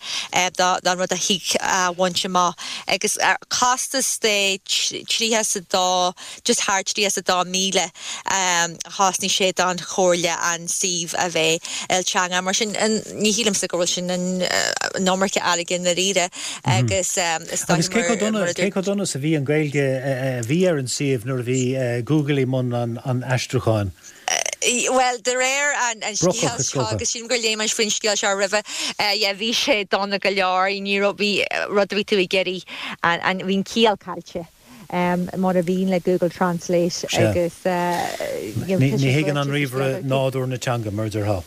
S13: don rud a thig a bhaint amach agus costas de 32, just thar 32,000 a chosnaigh sé don Chomhairle an suíomh a bheith ilteangach. Mar sin ní shílimse go bhfuil sin an iomarca airgid i ndáiríre agus is
S1: dóigh mar a dúirt. Cé chomh dona is a bhí an Ghaeilge a bhí ar an suíomh nuair a bhí Google i mbun an aistriúcháin?
S13: Bhuel, de réir an scéil seo, agus sílim gur léigh mé faoin scéal seo roimhe, yeah, bhí sé dona go leor, ní raibh, bhí rud a bhí tú ag iarraidh, an, bhí an ciall caillte, mar a bhíonn le Google Translate agus,
S1: you know, Ní thuigeann an ríomhaire nádúr na teanga, mar a déarfá.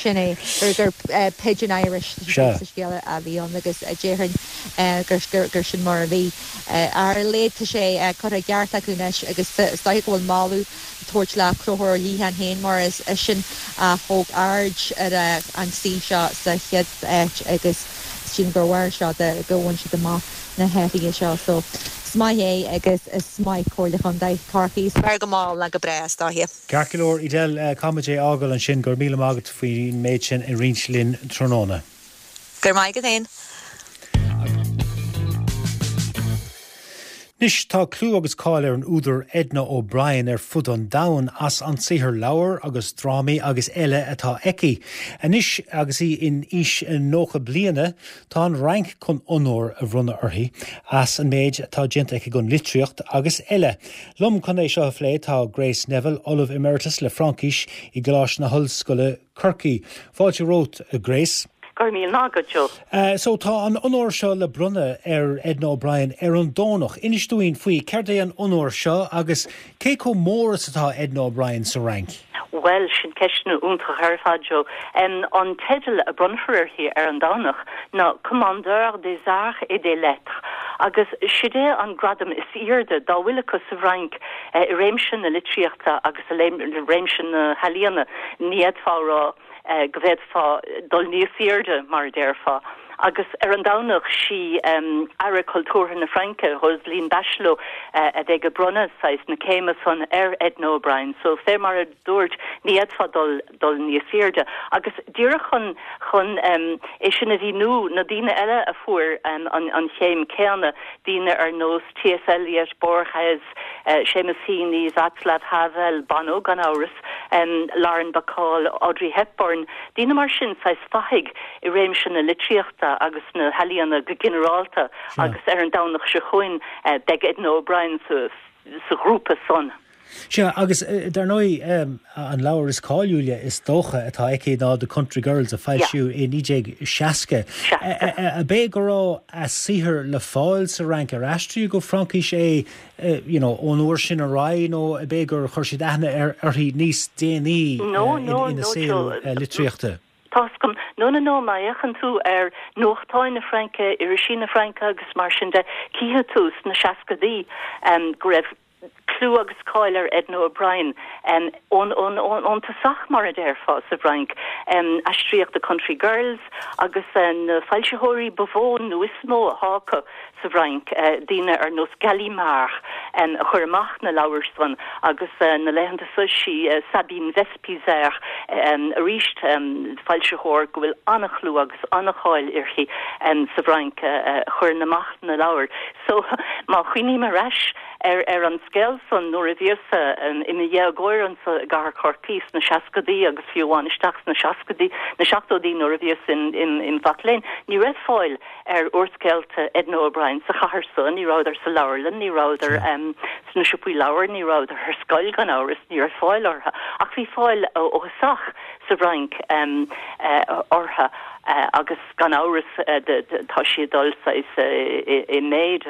S13: Sin é, gur Pidgin Irish sa scéal a bhí ann agus déarfainn gur sin mar a bhí. Ar a laghad tá sé curtha i gceart acu anois agus is dóiche go bhfuil moladh á tabhairt le Conchúr Ó Liatháin féin mar is eisean a thóg aird ar an suíomh seo sa chéad áit agus sílim gur bharr seo de go bhain siad amach na hathruithe seo. So is maith é agus is maith Comhairle Chontae Chorcaí. Is fearr go mall ná go bráth is dóiche.
S1: Ceart go leor, Edel, caithfidh muid é a fhágáil ansin. Go raibh míle maith agat faoin méid sin a roinnt linn tráthnóna.
S13: Go raibh maith agat féin.
S1: Anois, tá clú agus cáil ar an údar Edna O'Brien ar fud an domhain as an saothar leabhar agus drámaí agus eile atá aici. Anois, agus í in aois 90 bliana, tá an Fhrainc chun onóir a bhronnadh uirthi as an méid atá déanta aici don litríocht agus eile. Liom chun é seo a phlé tá Grace Neville, Ollamh Emeritus le Fraincis i gColáiste na hOllscoile, Corcaigh. Fáilte romhat, a Grace.
S14: Go raibh míle maith agat,
S1: Joe. So, tá an onóir seo le bronnadh ar Edna O'Brien ar an Domhnach. Inis dúinn faoi, céard é an onóir seo agus cé chomh mór is atá Edna O'Brien sa Fhrainc?
S14: Bhuel, sin ceisteanna iontach ar fad, Joe. An teideal a bronnfar uirthi ar an Domhnach ná Commandeur des Arts et des Lettres agus sid é an gradam is aoirde dá bhfuil acu sa bhFrainc i réimse na litríochta agus i réimse na healaíona. Ní fhéadfá a rá go bhféadfá dul níos aoirde, mar a déarfá. Agus ar an Domhnach, sí Aire Cultúrtha na Fraince, Roselyne Bachelot, a bheidh ag bronnadh saghas na céime san ar Edna O'Brien. So, fé mar a dúirt, ní fhéadfá dul dul níos aoirde. Agus díreach chun chun é sin a mhíniú, na daoine eile a fuair an an chéim céanna, daoine ar nós T.S. Eliot, Borges, Seamus Heaney, Václav Havel, Bono gan amhras, Lauren Bacall, Audrey Hepburn, daoine mar sin, saghas fathaigh i réimse na litríochta agus na healaíona go ginearálta agus ar an Domhnach seo chugainn beidh Edna O'Brien sa ghrúpa san.
S1: Sea, agus dar ndóigh an leabhar is cáiliúla is dócha atá aici ná The Country Girls a foilsíodh i 1960. Ab é go raibh a saothar le fáil sa Fhrainc, ar aistríodh go Fraincis é you know ón uair sin ar aghaidh nó ab é gur chuir siad aithne uirthi níos déanaí ina saol litríochta?
S14: Tá's agam. No, no, no, má fhéachann tú ar nuachtáin na Fraince, irisí na Fraince agus mar sin de, cífidh tú sna seascadaí go raibh clú agus cáil ar Edna O'Brien ón, ón, ón tosach, mar a déarfá, sa bhFrainc. Aistríodh The Country Girls agus na foilsitheoirí ba mhó nó is mó atá acu sa bhFrainc, daoine ar nós Gallimard a chuir amach na leabhair san agus na laethanta so sí Sabine Wespieser arís, foilsitheoir go bhfuil an-chlú agus an-cháil uirthi sa bhFrainc a chuireann amach na leabhair. So má chuimhním ar ais ar ar an scéal san nuair a bhíos-sa i mo dhéagóir anso i gcathair Chorcaí sna seascadaí agus fiú amháin isteach sna seascadaí, na seachtóidí nuair a bhíos im mhac léinn, ní raibh fáil ar úrscéalta Edna O'Brien sa chathair so, ní rabhadar sa leabharlann, ní rabhadar sna siopaí leabhar, ní rabhadar ar scoil gan amhras, ní raibh fáil orthu. Ach bhí fáil ó thosach. sa bhFrainc orthu agus gan amhras tá sí ag dul saghas i méid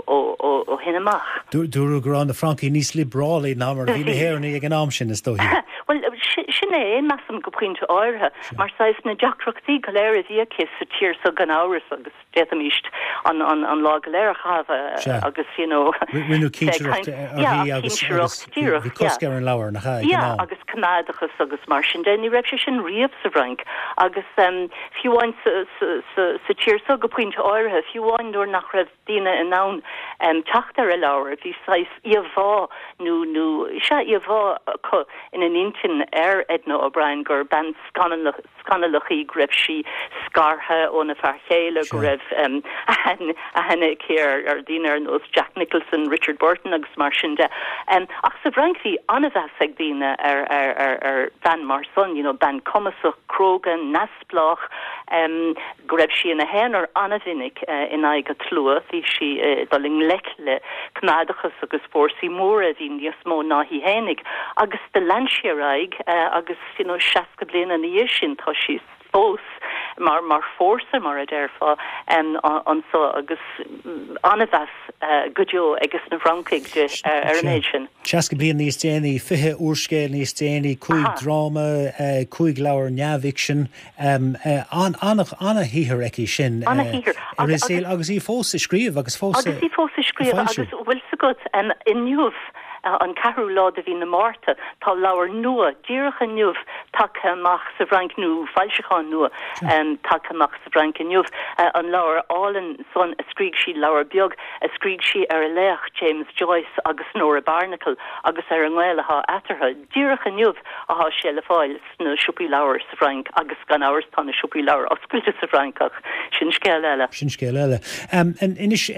S14: ó shin amach.
S1: Dúradh go raibh na Francaigh níos liobrálaí ná mar a bhí na hÉireannaigh ag an am sin, is dóichí.
S14: Bhuel, sin é, measaim, go pointe áirithe, mar saghas na deacrachtaí go léir a bhí aici sa tír so gan amhras agus d'fhéadfaimís an an lá go léir a chaitheamh agus you know
S1: Rinneadh cinsireacht uirthi agus bhí cosc ar an leabhar, nach ea, ag an
S14: am? Yeah, agus coimeádachas agus mar sin de. Ní raibh sé sin riamh sa bhFrainc agus fiú amháin sa tír seo go pointe áirithe, fiú amháin nuair nach raibh daoine in ann teacht ar a leabhair, bhí saghas íomhá nó nó sea íomhá acu ina n-intinn ar Edna O'Brien gur bean scannalach scannalach í, go raibh sí scartha óna fear chéile, go raibh aithne aici ar dhaoine ar nós Jack Nicholson, Richard Burton agus mar sin de. Ach sa bhFrainc bhí an-mheas ag daoine ar bhean mar san, you know, bean cumasach, cróga, neamhspleách, go raibh sí ina haonar an-mhinic in aghaidh an tslua, bhí sí ag dul i ngleic le coimeádachas agus fórsaí móra a bhí níos mó ná í fhéinig agus do lean sí ar aghaidh agus you know, 60 bliain ina dhiaidh sin, tá sí fós mar, mar fórsa, mar a déarfá, anso agus an-mheas go deo ages na Francaigh di ar an méid sin.
S1: 60 bliain níos déanaí, 20 úrscéal níos déanaí, 5 dráma, 5 leabhar neamhfhicsin, an-shaothar aici sin
S14: An-shaothar.
S1: i rith a saoil agus í fós ag scríobh agus fós
S14: ag foilsiú. Agus í fós ag scríobh agus bhfuil 's agat, inniu, An ceathrú lá de mhí na Márta, tá leabhar nua, díreach inniu, tagtha amach sa bhFrainc, nó foilseachán nua tagtha amach sa bhFrainc inniu, an leabhar álainn san a scrígh sí, leabhar beag a scrígh sí ar a laoch, James Joyce agus Nora Barnacle agus ar an ngaol athá eatarthu. Díreach inniu athá sé le fáil. sna siopaí leabhar sa bhFrainc agus gan amhras tá na siopaí leabhar oscailte sa bhFrainc ach sin scéal eile.
S1: Sin scéal eile. Anois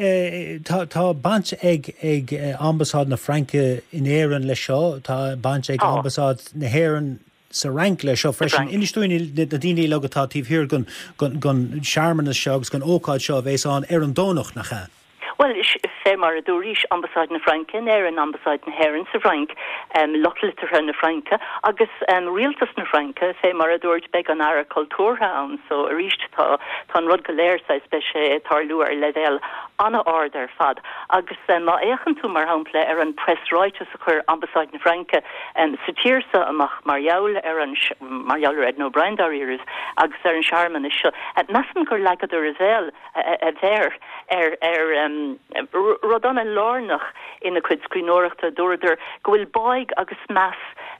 S1: tá tá baint ag ag Ambasáid na Fraince in Éirinn leis seo, tá baint ag Ambasáid na hÉireann sa Fhrainc leis seo freisin. Inis dúinn na daoine uilig atá taobh thiar den den searmanas seo agus den ócáid seo a bheas ann ar an Domhnach, nach ea?
S14: Bhuel, fé mar a dúraís, Ambasáid na Fraince in Éirinn, Ambasáid na hÉireann sa Bhfrainc, lucht liteartha na Fraince agus Rialtas na Fraince, fé mar a dúirt, beidh an Aire Cultúrtha ann, so arís tá tá an rud go léir saghas, beidh sé ag tarlú ar leibhéal an-ard ar fad. Agus má fhéachann tú, mar shampla, ar an preasráiteas a chuir Ambasáid na Fraince sa tír so amach mar gheall ar an, mar gheall ar Edna O'Brien dáiríribh, agus ar an searmanas seo, measaim gur leagadar a bhéal, a mhéar ar ar rud an-lárnach ina cuid scríbhneoireachta. Dúradar go bhfuil báidh agus meas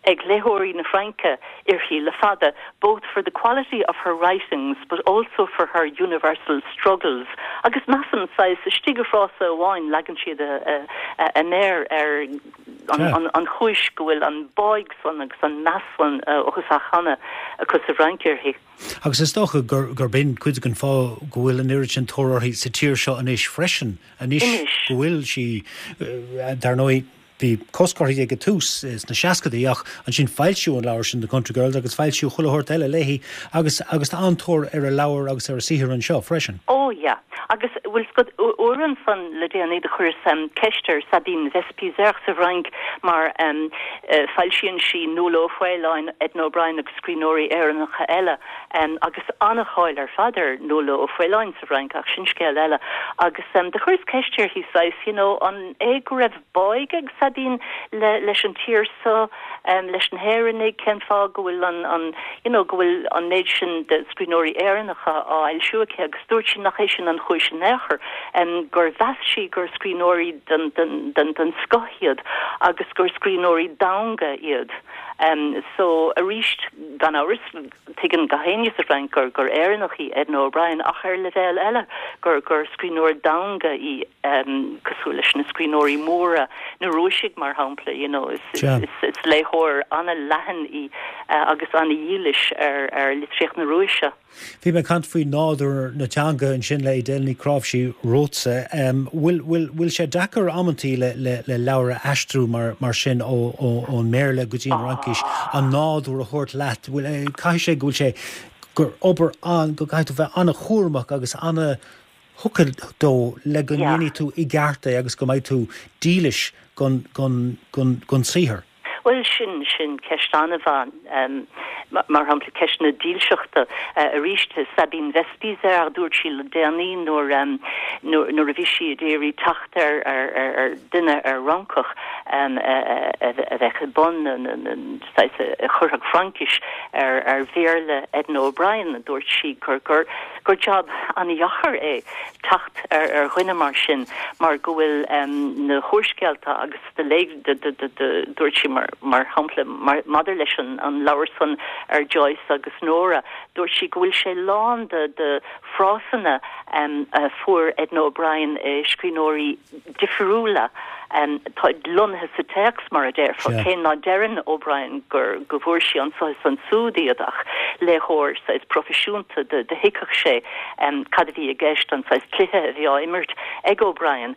S14: ag léitheoirí na Fraince uirthi le fada, both for the quality of her writings but also for her universal struggles. Agus measaim, saghas, istigh i bhfrása amháin, leagann siad a méar ar an chúis go bhfuil an báidh san agus an meas san ó thosach cheana acu sa bhFrainc uirthi.
S1: Agus is dócha gurb in cuid den fáth go bhfuil an oiread sin tóir uirthi sa tír seo anois freisin, anois go bhfuil sí, dar ndóigh, bhí cosc uirthi ag an tús sna seascadaí ach ansin foilsíodh an leabhar sin The Country Girls agus foilsíodh chuile shórt eile léi agus agus tá an-tóir ar a leabhair agus ar a saothar anseo freisin.
S14: Ó yeah. Agus bhfuil 's agat, uair ansan le déanaí do chuireas ceist ar Sabine Wespieser sa bhFrainc mar foilsíonn sí Nuala Ó Faoláin, Edna O'Brien agus scríbhneoirí Éireannacha eile, agus an-cháil ar fad ar Nuala Ó Faoláin sa bhFrainc, ach sin scéal eile. Agus do chuireas ceist uirthi saghas, you know, an é go raibh báidh ag Sabine le, leis an tír so, leis na hÉireannaigh, cén fáth go bhfuil an, an, you know, go bhfuil an méid sin de scríbhneoirí Éireannacha á fhoilsiú aici agus dúirt sí nach é sin an chúis in aon chor, gur mheas sí gur scríbhneoirí den, den, den, den scoth iad agus gur scríbhneoirí domhanda iad. So, arís, gan amhras, tuigeann gach éinne sa Fhrainc gur gur Éireannach í Edna O'Brien, ach ar leibhéal eile, gur gur scríbhneoir domhanda í, cosúil leis na scríbhneoirí móra, na Rúisigh, mar shampla, you know, is is is léitheoir an-leathan í agus an-dhílis ar ar litríocht na Rúise.
S1: Bhí mé ag caint faoi nádúr na teanga ansin le Edel Ní Chnáimhsí romhatsa. Bhfuil, bhfuil, bhfuil sé deacair amantaí le, le, le leabhar a aistriú mar, mar sin ó, ó, ón mBéarla go dtí an Fhraincis, an nádúr a thabhairt leat? Bhfuil, caithfidh sé go bhfuil sé, gur obair an, go gcaithfidh tú bheith an-chúramach agus an-thugtha dó le go ndéanfaidh tú i gceart é agus go mbeidh tú dílis gon, gon, gon, gon saothar.
S14: Bhuel, sin, sin ceist an-mhaith. Mar shampla, ceist na dílseachta. Arís, Sabine Wespieser, dúirt sí le déanaí nuair, nuair a bhí sí ag iarraidh teacht ar, ar, ar duine, ar Fhrancach a bheadh i mbun na, na, saghas, a chuirfeadh Fraincis ar, ar Bhéarla Edna O'Brien, dúirt sí gur, gur, gur jab an-dheacair é teacht ar, ar dhuine mar sin mar go bhfuil na húrscéalta agus de dúirt sí mar shampla maidir leis an leabhar san ar Joyce agus Nora, dúirt sí go bhfuil sé lán de frásanna a fuair Edna O'Brien i scríbhneoirí difriúla. Tá lonnaithe sa téacs, mar a déarfá, cé ná deireann O'Brien gur go bhfuair sí anso is ansúd iad ach léitheoir saghas proifisiúnta do thuigfeadh sé cad a bhí i gceist, an saghas cluiche a bhí á imirt ag O'Brien.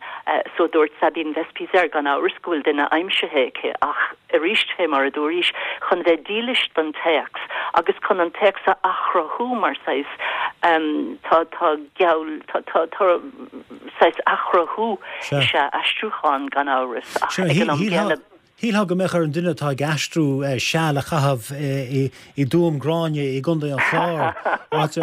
S14: So dúirt Sabine Wespieser gan amhras go bhfuil duine aimsithe aici ach arís fé mar a dúraís, chun bheith dílis don téacs agus chun an téacs a athchruthú mar saghas tá tá geall tá tá tá saghas athchruthú is ea aistriúchán gan amhras ach ag an am
S1: céanna Shílfeá go mbeadh ar an duine atá ag aistriú seal a chaitheamh i dTuaim Gráinne i gContae an Chláir, áit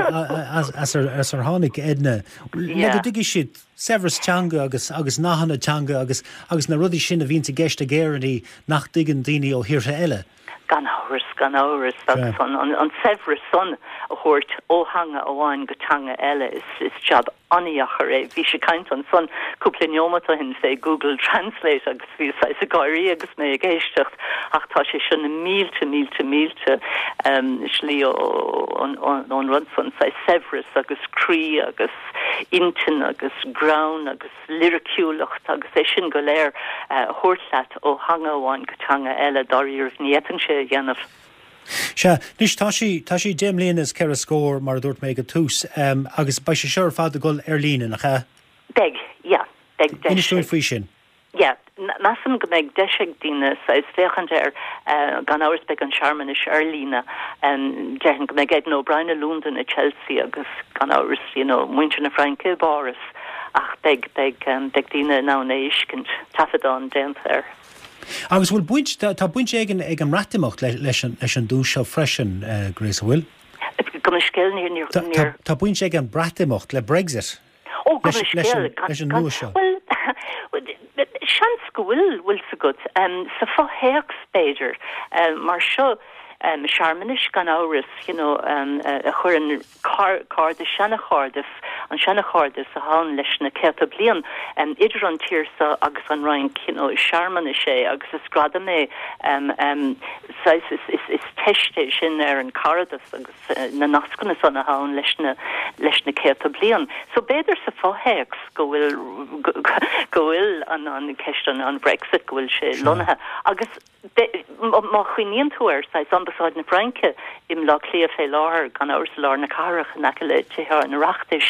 S1: as ar tháinig Edna, le go dtuigfidh siad saibhreas teanga agus agus nathanna teanga agus agus na rudaí sin a bhíonns i gceist ag Éireannaigh nach dtuigeann daoine ó thíortha eile.
S14: Gan amhras, gan amhras, agus an saibhreas san a thabhairt ó theanga amháin go teanga eile, is jab an-dheacair é. Bhís ag caint ansan cúpla neomat ó shin fé Google Translate agus bhíos saghas ag gáirí agus mé ag éisteacht ach tá sé seo na mílte, mílte, mílte slí ón rud san, saghas saibhreas agus croí agus intinn agus greann agus liriciúlacht agus é sin go léir a thabhairt leat ó theanga amháin go teanga eile, dáiríribh ní fhéadfainnse é a dhéanamh.
S1: Sea, anois tá sí, tá sí deich mbliana is ceithre scór, mar a dúirt mé ag an tús, agus beidh sé seo ar fad ag dul ar líne, nach ea?
S14: Beidh, yeah, beidh
S1: deis Inis dúinn faoi sin.
S14: Yeah, measaim go mbeidh deis ag daoine saghas féachaint air, gan amhras beidh an searmanais ar líne, déarfainn go mbeidh Edna O'Brien i Londain, i Chelsea agus gan amhras, you know, muintir na Fraince i bPáras ach beidh, beidh, beidh daoine in ann é a fheiscint, taifeadán déanta air.
S1: Agus bhfuil baint, tá baint éigin ag an mBreatimeacht leis an, leis an duais seo freisin, Grace, an bhfuil?
S14: Gabh mo leithscéal, níor, níor, níor.
S1: Tá baint ag an Breatimeacht le Brexit
S14: Ó, gabh mo leithscéal,
S1: leis an nduais seo.
S14: Bhuel, seans go bhfuil, bhfuil 's agat, sa fho-théacs b'fhéidir, mar seo, searmanais gan amhras, you know, a chuireann cairdeas, seana-chairdeas, an seana-chairdeas atá ann leis na céadta bliain idir an tír seo agus an Fhrainc, you know, is searmanas é agus is gradam é, saghas, is, is, is teist é sin ar an caradas agus na nascanna san atá ann leis na, leis na céadta bliain. So b'fhéidir sa fho-théacs go bhfuil, go bhfuil an, an ceist an, an Brexit, go bhfuil sé lonnaithe agus, Má chuimhníonn tú ar saghas Ambasáid na Fraince i mBleá Cliath fé láthair, gan amhras i lár na cathrach in aice le Tithe an Oireachtais,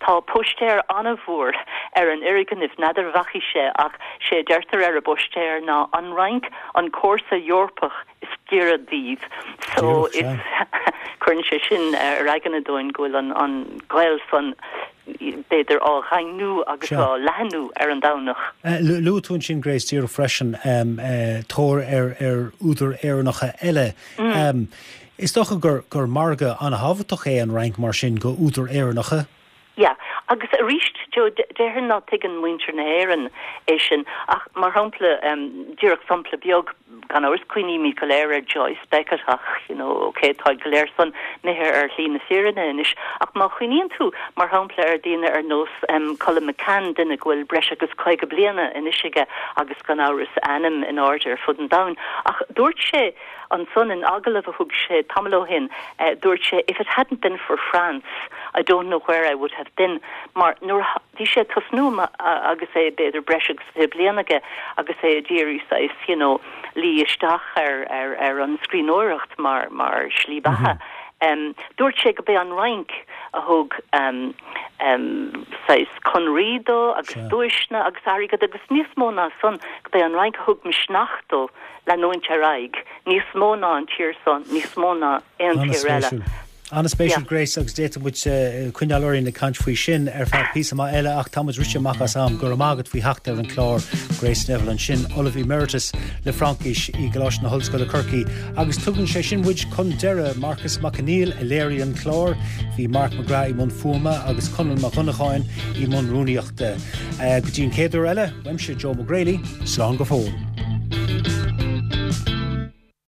S14: tá póistéar an-mhór ar an fhoirgneamh, n'fheadar an bhfacaís é ach sé a deirtear ar an bpóistéar ná 'An Fhrainc, an comharsa Eorpach is giorra daoibh'. So is cuireann sé sin ar aigne dúinn go bhfuil an gaol san b'fhéidir, á dhaingniú agus á leathnú ar an Domhnach.
S1: Luaigh tú ansin, Grace, díreach freisin, tóir ar údair Éireannacha eile. Is dócha gur margadh an-thábhachtach é an Fhrainc mar sin go údair Éireannacha.
S14: Yeah, agus arís, Joe, déarfainn ná tuigeann muintir na hÉireann é sin, ach mar shampla, díreach sampla beag, Gan amhras, cuimhnímid go léir ar Joyce, Beckett ach, you know, ok, táid go léir san imithe ar shlí na fírinne anois. Ach má chuimhníonn tú, mar shampla, ar daoine ar nós Colum McCann, duine go bhfuil breis agus 50 bliana anois aige agus gan amhras a ainm in airde ar fud an domhain. Ach dúirt sé ansan in agallamh a thug sé tamall ó shin, dúirt sé, if it hadn't been for France, I don't know where I would have been. Mar nuair a bhí sé ag tosnú agus é b'fhéidir breis agus 20 bliain aige agus é ag iarraidh saghas you know luí isteach ar ar ar an scríbhneoireacht mar mar shlí beatha. Um, dúirt sé go b'é an Fhrainc a thug um, um, saghas conraí dó agus duaiseanna agus airgead agus níos mó ná san go b'é an Fhrainc a thug misneach dó leanúint ar aghaidh níos mó ná an tír san, níos mó ná aon tír eile.
S1: An-spéisiúil Grace agus d'fhéadfadh muid coinneáil orainn ag caint faoi sin ar feadh píosa maith eile ach tá muid rite amach as am. Go raibh maith agat faoi theacht ar an chlár Grace Neville ansin, Ollamh Emeritus le Fraincis i gColáiste na hOllscoile Corcaigh agus tugann sé sin muid chun deireadh. Marcas Mac Conghail a léirigh an clár, bhí Mark McGrath i mbun fuaime agus Conall Mac Dhonnacháin i mbun rúnaíochta. Go dtí an chéad uair eile, uaimse Joe Mac Greally, slán go fóill.